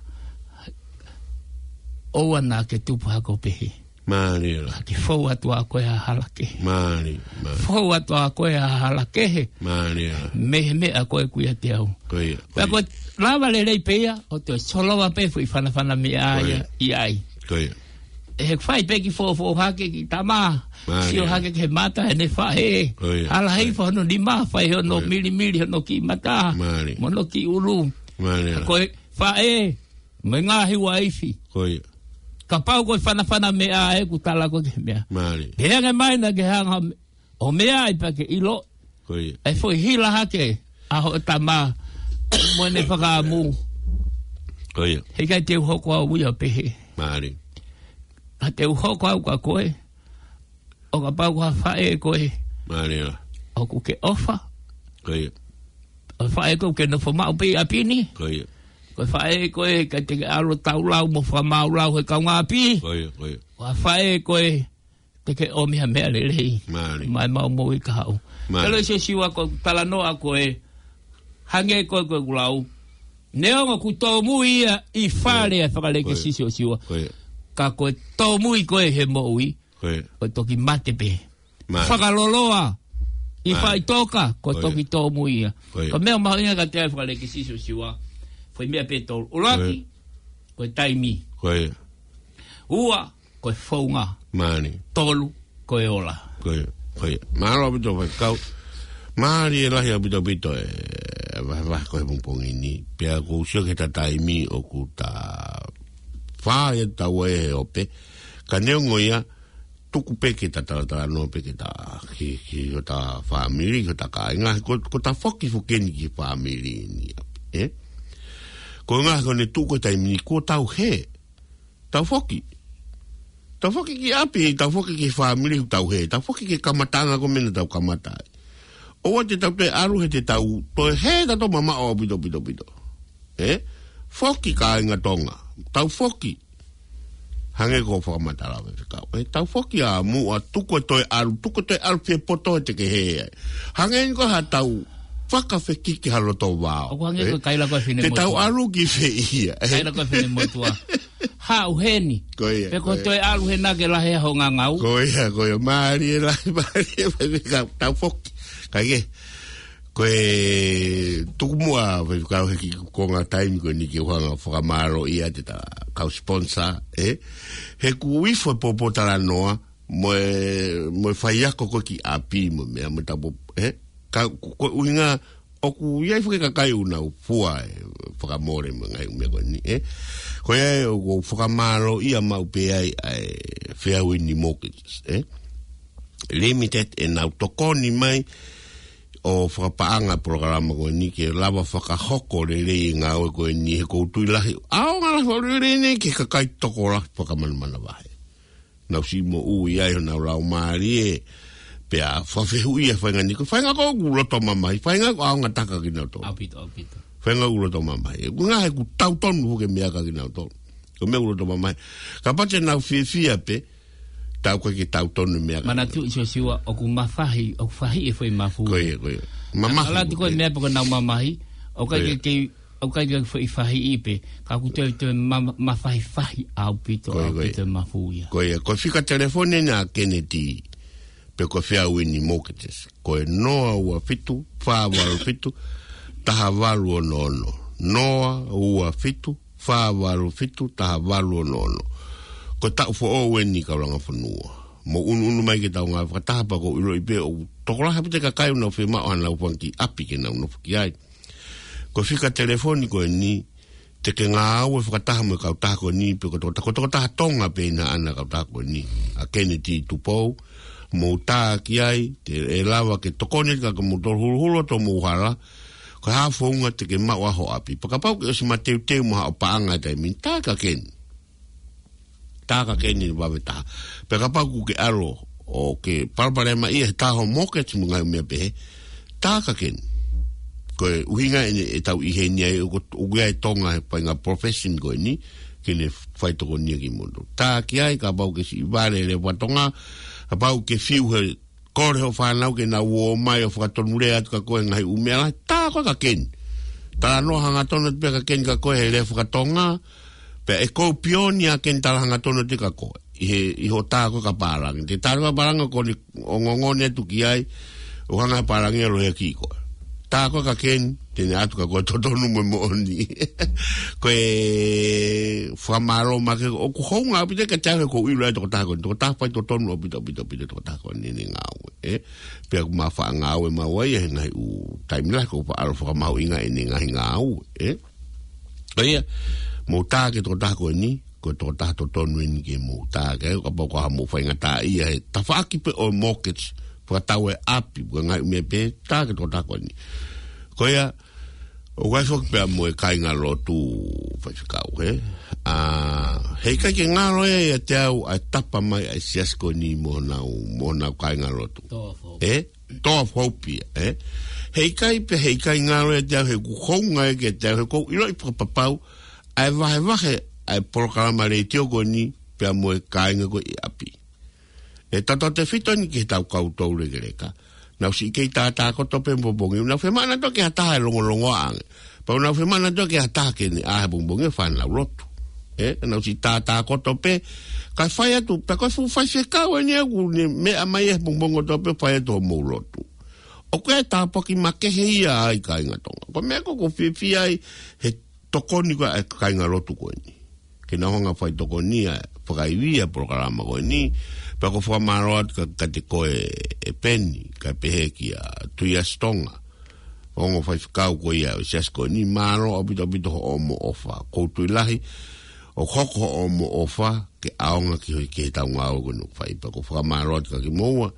ʻoua naʻa ke tupu hake ʻo pehē. Mālie lā. Ke fou atu ʻa koe ʻa hala kehe. Mālie, mālie. Fou atu ʻa koe ʻa hala kehe. Mālie lā. Mei he meʻa ko ē ʻoku ʻiate au. Ko ia, ko Pea ia. ko e lava lelei pē ia, ʻo te solova pē foʻi fanafana meʻa Ko ia. ia, ʻi ai. Ko ia. ʻE he fai pē ki fōfō hake ki tama. Mālie. Sio hake ki he mata ʻene faʻē. Ko ia. Hala hei Ko ia. fa hono nima, fai hono Ko ia. milimili, hono kiʻi mata. Mālie. Mo hono kiʻi ʻulu. Mālie lā. Ko e faʻē, mo e ngaahi uaifi. Ko ia. Kapau ko e fanafana meʻa ē ʻoku tala ko ē ki he meʻa. Mālie. Ke ange mai naʻa ke hanga ʻo meʻa ai pea ke ʻilo. Ko ia. ʻE foʻi hila hake, ʻa hoʻo tama, mo ʻene fakaʻamu. Ko ia. Heʻikai te u hoko au ia pehē. Mālie. Ka te u hoko au kia koe. ʻO kapau ko ha faʻē koe. Mālie lā. ʻOku ke ʻofa. Ko ia. ʻO faʻē koe ke nofo maʻu pē ʻi ʻapi ni. Ko ia. Ko e faʻē koe ka te ke ʻalu taulau mo fakamāulau he kaungāʻapi. Ko ia, ko ia. Ko ha faʻē koe te ke ʻomi ha meʻa lelei. Mālie. Mai mau moʻui kahaʻu. Mālie. Pea loi Siosiua ko e talanoa ko ē hangē ko ē ko ʻeku lau. Neongo ʻoku tōmui ia ʻi fale Ko ia. ʻa e fakalekisisi Ko ia. Siosiua. Ko ia. Ka ko e tōmui ko ē he moʻui. Ko ia. ʻO toki mate pē. Mālie. Fakaloloa. ʻI Mālie. faʻitoka, ko Ko ia. toki tōmui ia. Ko ia. Ko e meʻa mahuʻinga kiate au fakalekisisi Siosiua. Foʻi meʻa pē tolu. ʻUluaki, Ko ia. ko e taimi. Ko ia. Ua, ko e founga. Mālie. Tolu, ko e ola. Ko ia, ko ia. Mālō ʻaupito faifekau. Mālie lahi ʻaupito e vahevahe ko ē he pongipongi ni. Pea ʻoku ou sio ki he taimi ʻoku ta fā ia tau ʻi he ope. Ka neongo ia, tuku pē ke ta talatalanoa pē ke ta ki, ki hota fāmili, ki hota kāinga, ko, ko ta foki foki eni ki he fāmili ni, ē? Ko e ngaahi ko eni tuku e taimi ni kuo tau hē. Tau foki. Tau foki ki ʻapi, tau foki ki he fāmili, tau hē. Tau foki ki he kamataʻanga ko ē meʻa naʻa tau kamata ai. ʻOua te tau toe ʻalu he te tau toe hē tautolu mamaʻo ʻaupito, pito, pito. Ē? Foki kāinga Tonga. Tau foki. Hangē ko e fakamatala ʻa e faifekau. Ē, tau foki ā muʻa tuku e toe ʻalu, tuku e toe ʻalu fie poto he te ke hē ai. Hangē ko ha tau fakafekiki ha loto vao. ʻOku hangē Ē? ko e kaila ko ē fine Te tau motuʻa. ʻalu ki fē ia. Ē? Kaila ko ē fine motuʻa. Haʻu heni. Ko ia, Pe ko ko ia. toe ʻalu hena ke lahi ho ngangau. Ko ia, ko ia. Mālie lahi, mālie, mālie, ka tau foki. Ka ke, ko e tuku muʻa, faifekau he kiʻi konga taimi ko eni ke u hanga fakamālō ia te ta kau sponsor, ē? He ʻoku ifo e pōpōtalanoa, mo e, mo e faiako ko ē ki ʻapi, mo e meʻa, mo e tapu, ē? Ka, ko, ko e ʻuhinga, ʻoku ʻi ai foki e kakai ʻoku nau fua e fakamole mo e ngaahi meʻa ko eni, ē? Ko ia ʻoku ou fakamālōʻia maʻu pē ai ʻa e Fairwind Mortgages, ē? Limited ʻenau tokoni mai ʻo fakapaʻanga e polokalama ko eni ke lava fakahoko lelei e ngāue ko eni he ʻoku ou tui lahi. ʻAonga lahi ʻo lelei nei ki he kakai tokolahi fakamanamana vahe. Nau siʻi moʻui ai honau laumālie, pea fakafehuʻia e faʻahinga ni, ko e faʻahinga ʻoku loto mamahi, faʻahinga ʻoku ʻaonga taha kia kinautolu. ʻAupito, ʻaupito. Faʻahinga ʻoku loto mamahi. ʻOku ngaahi ʻoku tau tonu foki e meʻa kia kinautolu. Ko e meʻa ʻoku loto mamahi. Kapau te nau fiefia pē, tau ko ē ke tau tonu e meʻa kia Manatu Siosiua, ʻoku mafahi, ʻoku fahi e foʻi mafu. Ko ia, ko ia. Mamahi. ʻAlu atu ko ē e meʻa pē ko ʻenau mamahi, ʻoku ʻikai Ko ia. ke, ke ʻoku ʻikai ke foʻi fahiʻi pē, ka ʻoku toe, toe ma-, mafahifahi ʻaupito, Ko ia, ko ia. ʻaupito e mafu ia. Ko ia, ko e fika telefoni ʻena ʻa Kennedy, pe ko e Fairwind Mortgages. Ko e noa ua fitu, fā valu fitu, taha valu ono ono. Noa ua fitu, fā valu fitu, taha valu ono ono. Ko e taʻu foʻou eni kau langa fonua. Mou ʻunuʻunu mai ke tau ngāue fakataha pea ʻoku ou ʻiloʻi pē ʻoku tokolahi ʻaupito e kakai ʻoku nau fiemaʻu haʻanau fanga kiʻi ʻapi ke nau nofo ki ai. Ko e fika telefoni ko eni, te ke ngāue fakataha mo e kautaha ko eni, pe ko e tokotaha, ko e tokotaha Tonga pē ʻi he ʻana e kautaha ko eni. ʻA Kennedy Tupou, mou tā ki ai, te, ʻe lava ke tokoni ka ke mou tolu huluhulu atu homou hala, Ko e hā e founga te ke maʻu ai ho ʻapi. Pea kapau ke ʻosi mateuteu mo haʻo paʻanga he taimi ni, tā ka keni. Tā ka keni vave taha. Pea kapau ʻoku ke ʻalu ʻo ke palopalemaʻia he tā ho mortgage mo e ngaahi meʻa pehē, tā ka keni. Ko e ʻuhinga eni ʻetau ʻi heni ai, ʻoku, ʻoku ʻi ai e Tonga he faʻahinga profession ko eni, ke ne fai tokoni kimoutolu. Tā ki ai, kapau ʻoku ke siʻi vale he lea faka-Tonga, kapau ʻoku ke fiu he kole hoʻo fānau ke nau ō mai ʻo fakatonulea atu kia koe he ngaahi ʻū meʻa lahi, tā koe ka keni. Talanoa hangatonu atu pē ka keni kia koe he lea faka-Tonga, pea ʻe koupioni ʻa keni tala hangatonu atu kia koe. ʻI he, ʻi hoʻo tā koe ka pālangi. Te tā koe ka pālangi ʻoku ne ongongoni atu ki ai, ʻo hanga pālangi ʻo loea ki koe. Tā koe ka keni, te ne ʻatu kia koe e totonu mo e moʻoni. Ko e fakamālō makehe, ʻoku hounga ʻaupito kiate au he ʻoku ou ʻilo ʻa e tokotaha ko eni, tokotaha faitotonu ʻaupito, ʻaupito, ʻaupito, tokotaha ko eni ʻene ngāue, ē. Pea ʻoku ma faʻa ngāue maua ia he ngaahi ʻū taimi lahi, ʻoku ou faʻa ʻalu ʻo fakamahuʻingaʻi ʻene ngaahi ngāue, ē. ʻA ia, mou tā ki he tokotaha ko eni, ko e tokotaha totonu eni ke mou tā ki ai, kapau ko ha mou faingataʻaʻia he tafaʻaki pē ʻo e mortgage, fakatau e ʻapi, ko e ngaahi meʻa pehē, tā ki he tokotaha ko eni. Ko ia, ʻoku ʻi ai foki pea mo e kāingalotu, Faifekau, ē? ʻA, heʻikai ke ngalo ia ʻiate au ʻa e tapa mai ʻa e siasi ko eni mo honau, mo honau kāingalotu. Tō fo. Ē? Tō fo pē ia, ē? Heʻikai pē, heʻikai ngalo ia ʻiate au he ʻoku hounga ia kiate au he ʻoku ou ʻiloʻi fakapapau ʻa e vahevahe ʻa e polokalama letiō ko eni pea mo e kāinga ko ē ʻi ʻapi. ʻE tautautefito eni ki heʻetau kau toulekeleka. Nau siʻi kei tātā koto pē he pongipongi. Nau fiemaʻu nautolu ke ʻi ai ha taha ʻe longolongoaʻa ange. Pea nau fiemaʻu nautolu ke ʻi ai ha taha ke ne ʻā he pongipongi ʻo fai ʻenau lotu. Ē, nau siʻi tātā koto pē. Kae fai atu, pea ko e fuʻu faifekau eni ʻoku ne meʻa mai he pongipongi kotoa pē fai atu hoʻomou lotu. ʻOku ʻi ai e tāpuaki makehe ia ai kāinga Tonga. Ko e meʻa ko ē ʻoku ou fiefia ai he tokoni ko ē ʻa e kāingalotu ko eni. Ke nau hanga ʻo fai tokoni ʻa e fakaivia e polokalama ko eni, pea ʻoku ou fakamālō atu kia, kiate koe ʻe Peni, kae pehē kia Tuiasi Tonga. Ongo faifekau ko ia ʻo e siasi ko eni, mālō ʻaupito ʻaupito hoʻomo ʻofa. ʻOku ou tui lahi, ʻoku hoko hoʻomo ʻofa, ke ʻaonga ki he, ki heʻetau ngāue ko eni ʻoku fai pea ʻoku ou fakamālō atu kia kimoua.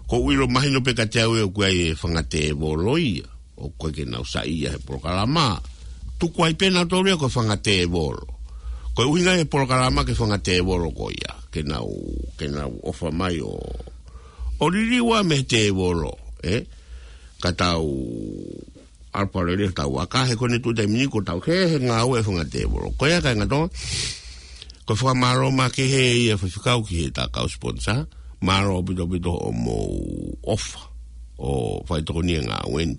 ʻOku ou ʻilo mahino pē kiate au ʻoku ʻi ai e fanga tēvolo ia. ʻOku ʻikai ke nau saiʻia he polokalama. Tuku ai pē nautolu ia ko e fanga tēvolo. Ko e ʻuhinga e polokalama ki he fanga tēvolo ko ia. Ke nau, ke nau ʻofa mai ʻo, ʻo liliu ʻa e meʻa tēvolo, ē? Ka tau ʻalu pē lele tau aka he ko eni tuʻu taimi ni ʻoku tau he, he ngāue e fanga tēvolo. Ko ia kāinga Tonga, ko e fakamālō makehe ia Faifekau ki heʻeta kau sponsor. Mālō ʻaupito ʻaupito hoʻomou ʻofa ʻo fai tokoni he ngāue ni.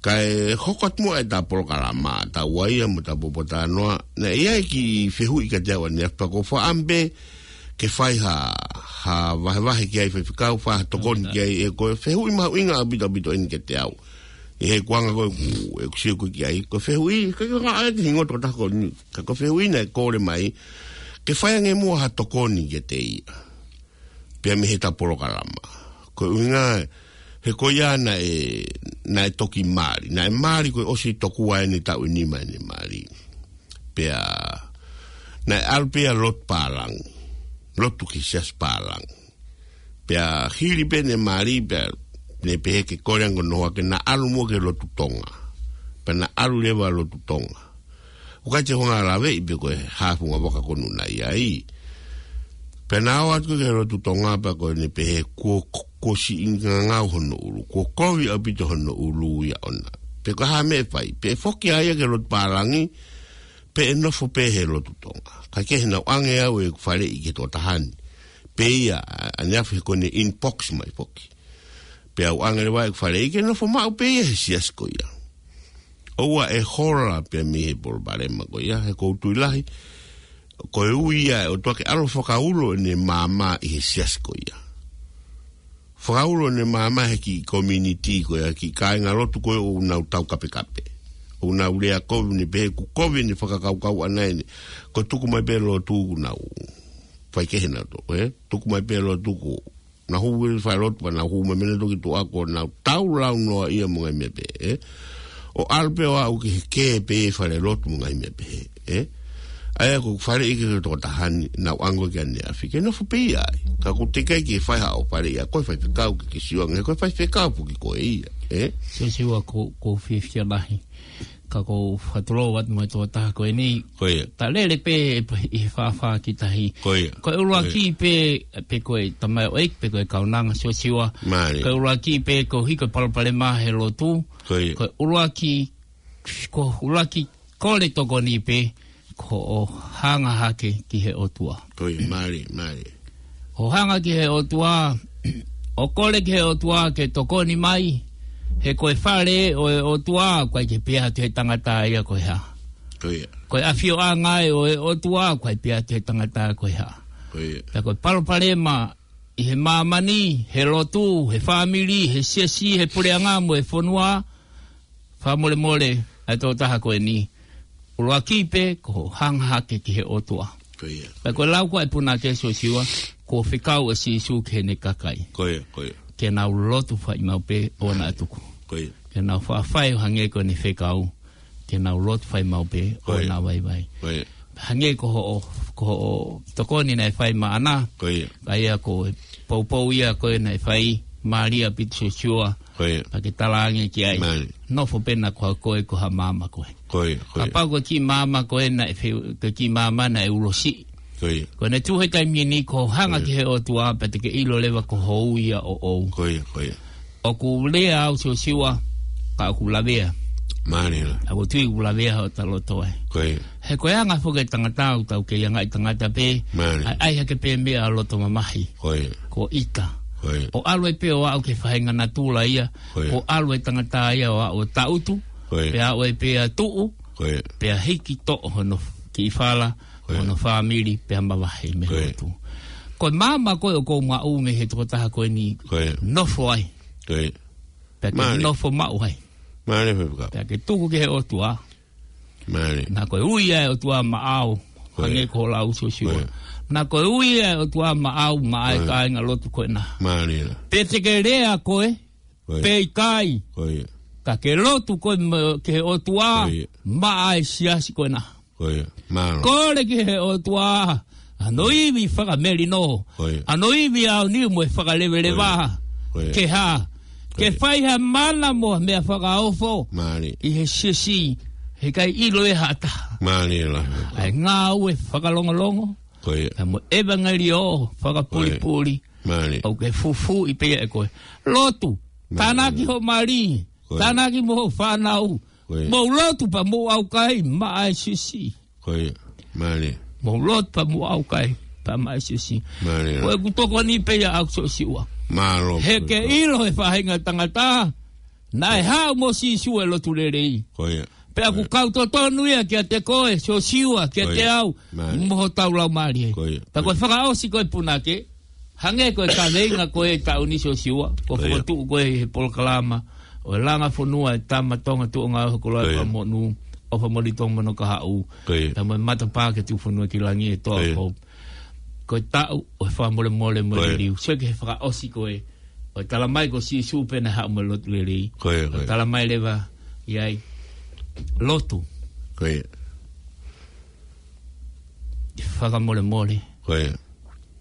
Kae hoko atu muʻa ʻeta polokalama, tau ʻai ia mo ʻeta poupou talanoa, naʻe ʻi ai e kiʻi fehuʻi kiate au ʻaneafi pea ʻoku ou fakaʻamu pē ke fai ha, ha vahevahe ki ai Faifekau, fai ha tokoni ki ai, ʻe ko e fehuʻi mahuʻinga ʻaupito ʻaupito eni kiate au. ʻI he kuonga ko ē ʻoku, ʻeku sio ko ē ki ai, ko e fehuʻi, ʻikai ke ngata ai ki he hingoa e tokotaha ko eni, ka ko e fehuʻi naʻe kole mai, ke fai ange muʻa ha tokoni kiate ia. Pea mei heʻeta polokalama. Ko e ʻuhinga, he ko ia naʻe, naʻe toki mali. Naʻe mali ko e ʻosi tokua ʻene taʻu ʻe nima ʻene mali. Pea, naʻe ʻalu pē ia ʻo lotu pālangi. Lotu ki he siasi pālangi. Pea hili pē ʻene mali, pea ne pehē ke kole ange hono hoa ke na ʻalu muʻa ki he lotu Tonga. Pea na ʻalu leva ʻo lotu Tonga. ʻOku ʻikai te u hanga ʻo laveʻi pe ko e hā e funga vaka ko ē naʻe ʻi ai. Pea na ō atu ki he lotu Tonga pea ko ʻene pehē kuo, kuo siʻi ngangau hono ʻulu. Kuo kovi ʻaupito hono ʻulu ia ʻona. Pe ko e hā e meʻa ʻe fai. Pe ʻe foki ʻa ia ki he lotu pālangi, pe ʻe nofo pē he lotu Tonga. Kae kehe naʻá ku ʻange au ʻeku faleʻi ki he tokotaha ni. Pea ʻi ai, ʻaneafi he ko ʻene inbox mai foki. Pea u ʻange leva ʻeku faleʻi ke nofo maʻu pē ia he siasi ko ia. ʻOua ʻe hola pē mei he palopalema ko ia, he ʻoku ou tui lahi, ko e ui ia ʻe he ʻOtua ke ʻalu ʻo fakaulo ʻene maama ʻi he siasi ko ia. Fakaulo ʻene maama he kiʻi community ko ia, kiʻi kāingalotu ko ē ʻoku nau taukapekape. ʻOku nau lea kovi, ne pehē ʻoku kovi ʻene fakakaukau ʻaʻana eni. Ko e tuku mai pē lotu ʻoku nau fai kehe nautolu, ē? Tuku mai pē lotu ʻoku nau hū ʻo fai lotu, pea nau hū mai mei he lotu ki tuʻa kuo nau tau lau noa ia mo e ngaahi meʻa pehē, ē? ʻO ʻalu pē ʻo aʻu ki he kē pē fale lotu mo e ngaahi meʻa pehē, ē? ʻA ia ko e faleʻi ki he tokotaha ni, nau ʻange ki ʻaneafi ke nofo pē ia ai. Ka ʻoku teʻeki ke fai haʻo faleʻi ʻa koe faifekau ke ke sio ange, ko e faifekau foki koe ia, ē? Siosiua, ko, ko fiefia lahi. Ka ko e fakatulou atu mo e tokotaha ko eni. Ko ia. Ta lele pē ʻi he fāfā ki tahi. Ko ia. Ko e ʻuluaki pē, pē ko e tamaioʻeiki, pē ko e kaunanga Siosiua. Mālie. Ko e ʻuluaki pē ko e hiko palopalema he lotu. Ko ia. Ko e ʻuluaki, ko e ʻuluaki kole tokoni pē, ko hoʻo hanga hake ki he ʻOtua. Ko ia, mālie, mālie. Hoʻo hanga ki he ʻOtua, ʻo kole ki he ʻOtua ke tokoni mai, he ko e fale ʻo e ʻOtua, ʻoku ʻikai ke pehē atu he tangata ia ko e hā. Ko ia. Ko e ʻafioʻanga ʻo e ʻOtua, ʻoku ʻikai pehē atu he tangata ko e hā. Ko ia. Pea ko e palopalema ʻi he māmani, he lotu, he fāmili, he siasi, he puleʻanga mo e fonua, fakamolemole, ʻa e tokotaha ko eni. ʻUluaki pē, ko hoʻo hanga hake ki he ʻOtua. Ko ia. Pea ko e lau ko ē ʻa e punake Siosiua, ko e fekau ʻa Sīsū ki heʻene kakai. Ko ia, ko ia. Ke nau lotu fai maʻu pē ʻo nau tuku. Ko ia. Ke nau faʻa fai ʻo hangē ko ʻene fekau. Ke nau lotu fai maʻu pē ʻo nau vaivai. Ko ia. Hangē ko hoʻo, ko hoʻo tokoni naʻe fai maʻana. Ko ia. ʻA ia ko e poupou ia ko ē naʻe fai, mālie ʻaupito Siosiua. Ko ia. Pea ke talaange ki ai. Mālie. Nofo pē ʻa koe ko ha maama koe. Ko ia, ko ia. Kapau ko e kiʻi maama koe naʻe fe-, ko e kiʻi maama naʻe ulosi. Ko ia. Ko ʻene tuʻu he taimi ni ko hoʻo hanga ki he ʻOtua pea te ke ʻilo leva ko hoʻo ui ʻa ʻoʻou. Ko ia, ko ia. ʻOku lea au Siosiua, ka ʻoku lavea. Mālie. ʻOku ou tui ʻoku lavea hota loto ai. Ko ia. He ko e anga foki e tangata ʻoku tau kei anga ʻi tangata pē. Mālie. ʻAi, ʻai hake pē meʻa ʻa loto mamahi. Ko ia. Ko ʻita. Ko ia. ʻO ʻalu ai pē ʻo aʻu ki he faʻahinga natula ia. Ko ia. ʻO ʻalu e tangata ia ʻo aʻu ʻo taʻutu. Ko ia. Pea aʻu ai pē ʻo tuʻu. Ko ia. Pea hiki toʻo hono kiʻi fala, ko ia, hono fāmili, pea mavahe mei he lotu. Ko ia. Ko e maama ko ē ʻoku ou maʻu mei he tokotaha ko eni. Ko ia. Nofo ai. Ko ia. Pea ke, mālie, nofo maʻu ai. Mālie faifekau. Pea ke tuku ki he ʻOtua. Mālie. Naʻa ko e ui ʻa e ʻOtua maʻau. Ko ia. Hangē ko e lau Siosiua. Ko ia. Naʻa ko e ui ʻa e ʻOtua maʻau, maʻa e, ko ia, kāinga lotu ko ena. Mālie. Pea te ke lea koe, ko ia, pe ʻikai. Ko ia. Ka ke lotu koe mo-, ki he ʻOtua, ko ia, maʻa e siasi ko ena. Ko ia. Mālō. Kole ki he ʻOtua, ʻa hono ivi fakamelino. Ko ia. ʻA hono ivi ʻaoniu mo e fakaleveleva. Ko ia. Ko ia. Ke hā. Ko ia. Ke fai ha mana mo ha meʻa fakaofo. Mālie. ʻI he siasi, heʻikai ʻilo ʻe ha taha. Mālie lahi. ʻA e ngāue fakalongolongo. Ko ia. Pea mo e ʻevangeliō fakapulipuli. Ko ia. Mālie. ʻOku ke fufuuʻi pē ia ʻe koe. Lotu. Mālie. Tānaki hoʻo mali. Ko ia. Tānaki mo hoʻo fānau. Ko ia. Mou lotu pea mou ʻaukai maʻa e siasi. Ko ia. Mālie. Mou lotu pea mou ʻaukai pea maʻa e siasi. Mālie. Ko ʻeku tokoni pē ia ʻaʻaku Siosiua. Mālō. He ke ʻilo he faʻahinga tangata naʻe haʻu mo Sīsū e lotu lelei. Ko ia. Pea ʻoku, ko ia, kau totonu ia kiate koe, Siosiua, kiate au, ko ia, mālie, mo hotau laumālie. Ko ia. Pea ko e, ko ia, fakaʻosi ko ē punake, hangē ko e kaveinga ko ē taʻu ni Siosiua, ko, ko ia, fokotuʻu ko ē he polokalama ʻo e Langa Fonua ʻa e Tama Tonga Tuʻunga ʻo e Hokoloa, ko ia, Fakamonū, ʻOfa Molitonga Monokahaʻu. Ko ia. Pea mo e matapā ke tuku fonua ki langi ʻe Toa, ko ia, Pope. Ko e taʻu ʻo e fakamolemole mo e, ko ia, liliu. Sio ki he fakaʻosi ko ē ʻo e talamai ko Sīsū pē naʻe haʻu mo e lotu lelei. Ko ia, ko ia. ʻO talamai leva ʻi ai, lotu. Ko ia. Fakamolemole. Ko ia.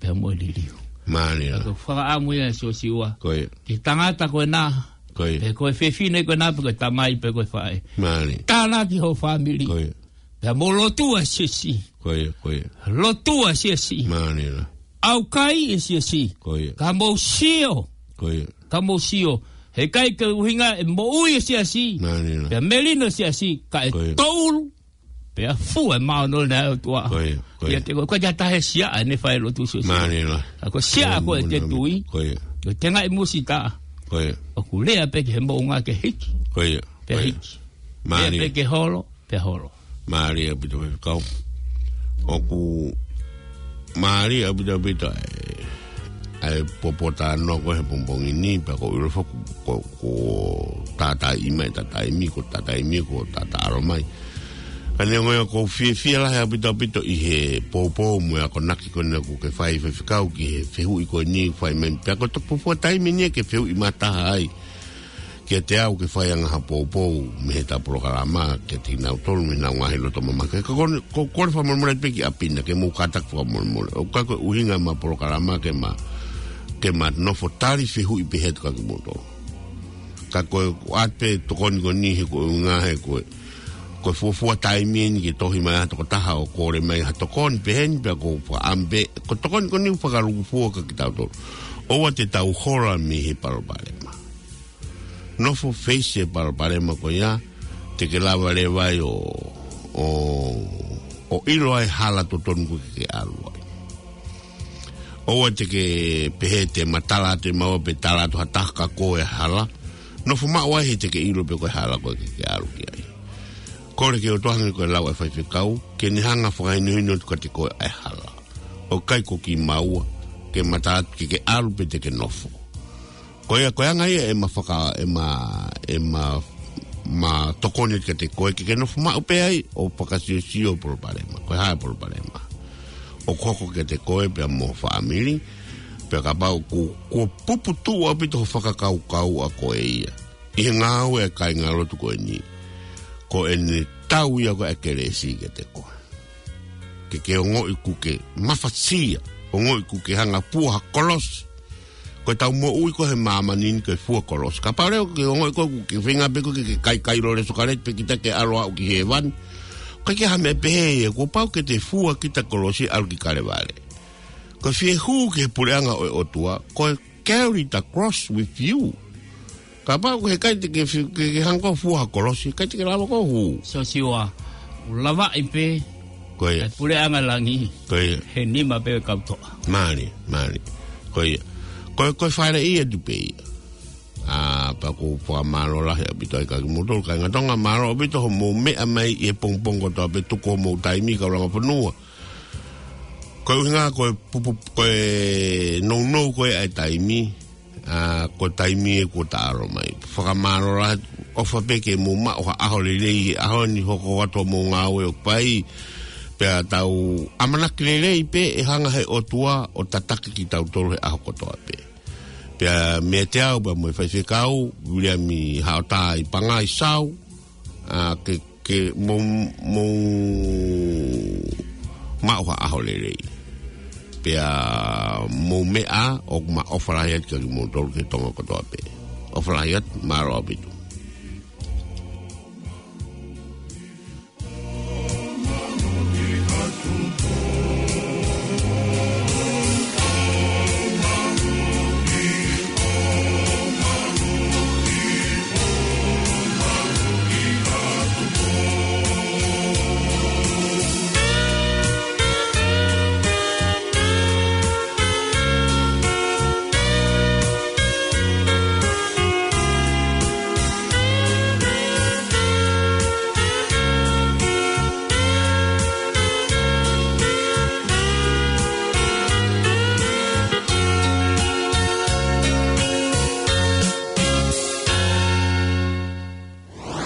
Pea mo e liliu. Mālie. Ko e fakaʻamu ia ʻa Siosiua. Ko ia. Ki he tangata ko ena. Ko ia. Pe ko e fefine ko ena, pe ko e tamai, pe ko e faʻē. Mālie. Tānaki hoʻo fāmili. Ko ia. Pea mou lotua e siasi. Ko ia, ko ia. Lotua e siasi. Mālie lahi. ʻAukai e siasi. Ko ia. Ka mou sio. Ko ia. Ka mou sio. Heʻikai ke ʻuhinga e moʻui e siasi. Mālie lahi. Pea melino e siasi. Ka e, ko ia, toulu. Pea fua e māʻoniʻoni ʻa e ʻOtua. Ko ia, ko ia. ʻIate koe, ʻoku ʻikai ke ʻi ai ha taha ʻe siaʻa ʻene fai lotu Siosiua. Mālie lahi. Ka ko e siaʻa ko ē ʻete tui. Ko ia. Ko e tengaʻi musita. Ko ia. ʻOku lea pē ki he moʻunga ke hiki. Ko ia. Pea, ko ia, hiki. Mālie. Lea pē ki he holo. Pea holo. Mālie ʻaupito faifekau. ʻOku mālie ʻaupito ʻaupito ʻa e, ʻa e poupou talanoa ko ē he pongipongi ni, pea ʻoku ou ʻilo foki ko, ko e tātāʻi mai, tātāʻi mai, ko e tātāʻi mai, ko e tātāʻalo mai. Ka neongo ia ʻoku ou fiefia lahi ʻaupito ʻaupito ʻi he poupou mo e akonaki ko eni ʻoku ke fai faifekau ki he fehuʻi ko eni fai mai. Pea ko e toki fuofua taimi eni ke fehuʻi mataha ai. kiate au ke fai ange ha poupou mei heʻetau polokalama kiate kinautolu mei heʻenau ngaahi loto mamake. Ka ko eni, ko, ko e fakamolemole pē ki ʻapi na ke mou kātaki fakamolemole. ʻOku ʻikai ko e ʻuhinga ʻema polokalama ke ma, ke ma nofo tali fehuʻi pē he atu kia kimoutolu. Ka ko e ʻoatu pē tokoni ko eni he ko e ʻuhinga he ko e, ko e fuofua taimi eni ke tohi mai ha tokotaha ʻo kole mai ha tokoni pehē ni pea ko fa ambe, ko e tokoni ko eni fakalūkufua kia kitautolu. ʻOua te tau hola mei he palopalema. Nofo face e palopalema ko ia, te ke lava leva ai ʻo, ʻo, ʻo ʻilo ai e hala totonu ko ē ke ke ʻalu ai. ʻOua te ke pehē te ma tala atu ʻe maua pe tala atu ha taha kia koe e hala. Nofo maʻu ai he te ke ʻilo pē ko e hala ko ē ke ke ʻalu ki ai. Kole ki he ʻOtua hangē ko e lau ʻa e faifekau, ke ne hanga ʻo fakahinohino atu kiate koe ʻa e hala. ʻOku ʻikai ko kimaua, ke ma tala atu ke ke ʻalu pe te ke nofo. Ko ia, ko e anga ia ʻema faka, ʻema, ʻema, ma tokoni kiate koe ke ke nofo maʻu pē ai ʻo fakasiosio e palopalema. Ko e hā e palopalema ʻoku hoko kiate koe pea mo ho fāmili, pea kapau ʻoku, kuo puputuʻu ʻaupito ho fakakaukau ʻa koe ia ʻi he ngāue ʻa e kāingalotu ko eni. Ko ʻene tau ia ko ē ʻa e kelesi kiate koe. Ke ke ongoʻi kuo ke mafasia, ongoʻi kuo ke hanga ʻo fua ha kolosi. Ko ʻetau moʻui ko ē he māmani ni ko e fua kolosi. Kapau leva ʻoku ke ongoʻi koe kuo ke feinga pē koe ke, ke kaikai lole sōkaleti pē kita ke ʻalu ʻo aʻu ki hēvani. ʻOku ʻikai ke ʻi ai ha meʻa pehē ia, kuo pau ke te fua kita kolosi ʻalu ki Kalevale. Ko e fie hū ki he puleʻanga ʻo e ʻOtua, ko e carry the cross with you. Kapau ʻoku ʻikai te ke fi-, ke, ke hanga ʻo fua ha kolosi, ʻikai te ke lava ʻo hū. Siosiua, ʻoku lavaʻi pē Ko ia. ʻa e puleʻanga langi Ko ia. he nima pē ʻo e kau toʻa. Mālie, mālie. Ko ia. Ko, ko e fale ia tu pē ia. ʻA, pea ʻoku ou fakamālō lahi ʻaupito ai kia kimoutolu kāinga Tonga, mālō ʻaupito hoʻomou meʻa mai ʻi he pongipongi kotoa pē, tuku hoʻomou taimi, kau langa fonua. Ko e ʻuhinga ko e pupu, ko e nounou ko ē ʻa e taimi, ʻa, ko e taimi ē kuo ta ʻalu mai. Fakamālō lahi, ʻofa pē ke mou maʻu ha ʻaho lelei he ʻaho ni, hoko atu hoʻomou ngāue ʻoku fai, pea tau ʻamanaki lelei pē ʻe hanga ʻe he ʻOtua ʻo tataki kitautolu he ʻaho kotoa pē. Pea meiate au pea mo e faifekau, Viliami Haʻotāipangaisau, ʻa, ke, ke mou, mou maʻu ha ʻaho lelei. Pea mou meʻa, ʻoku ma ʻofa lahi atu kia kimoutolu ki he Tonga kotoa pē. ʻOfa lahi atu, mālō ʻaupito.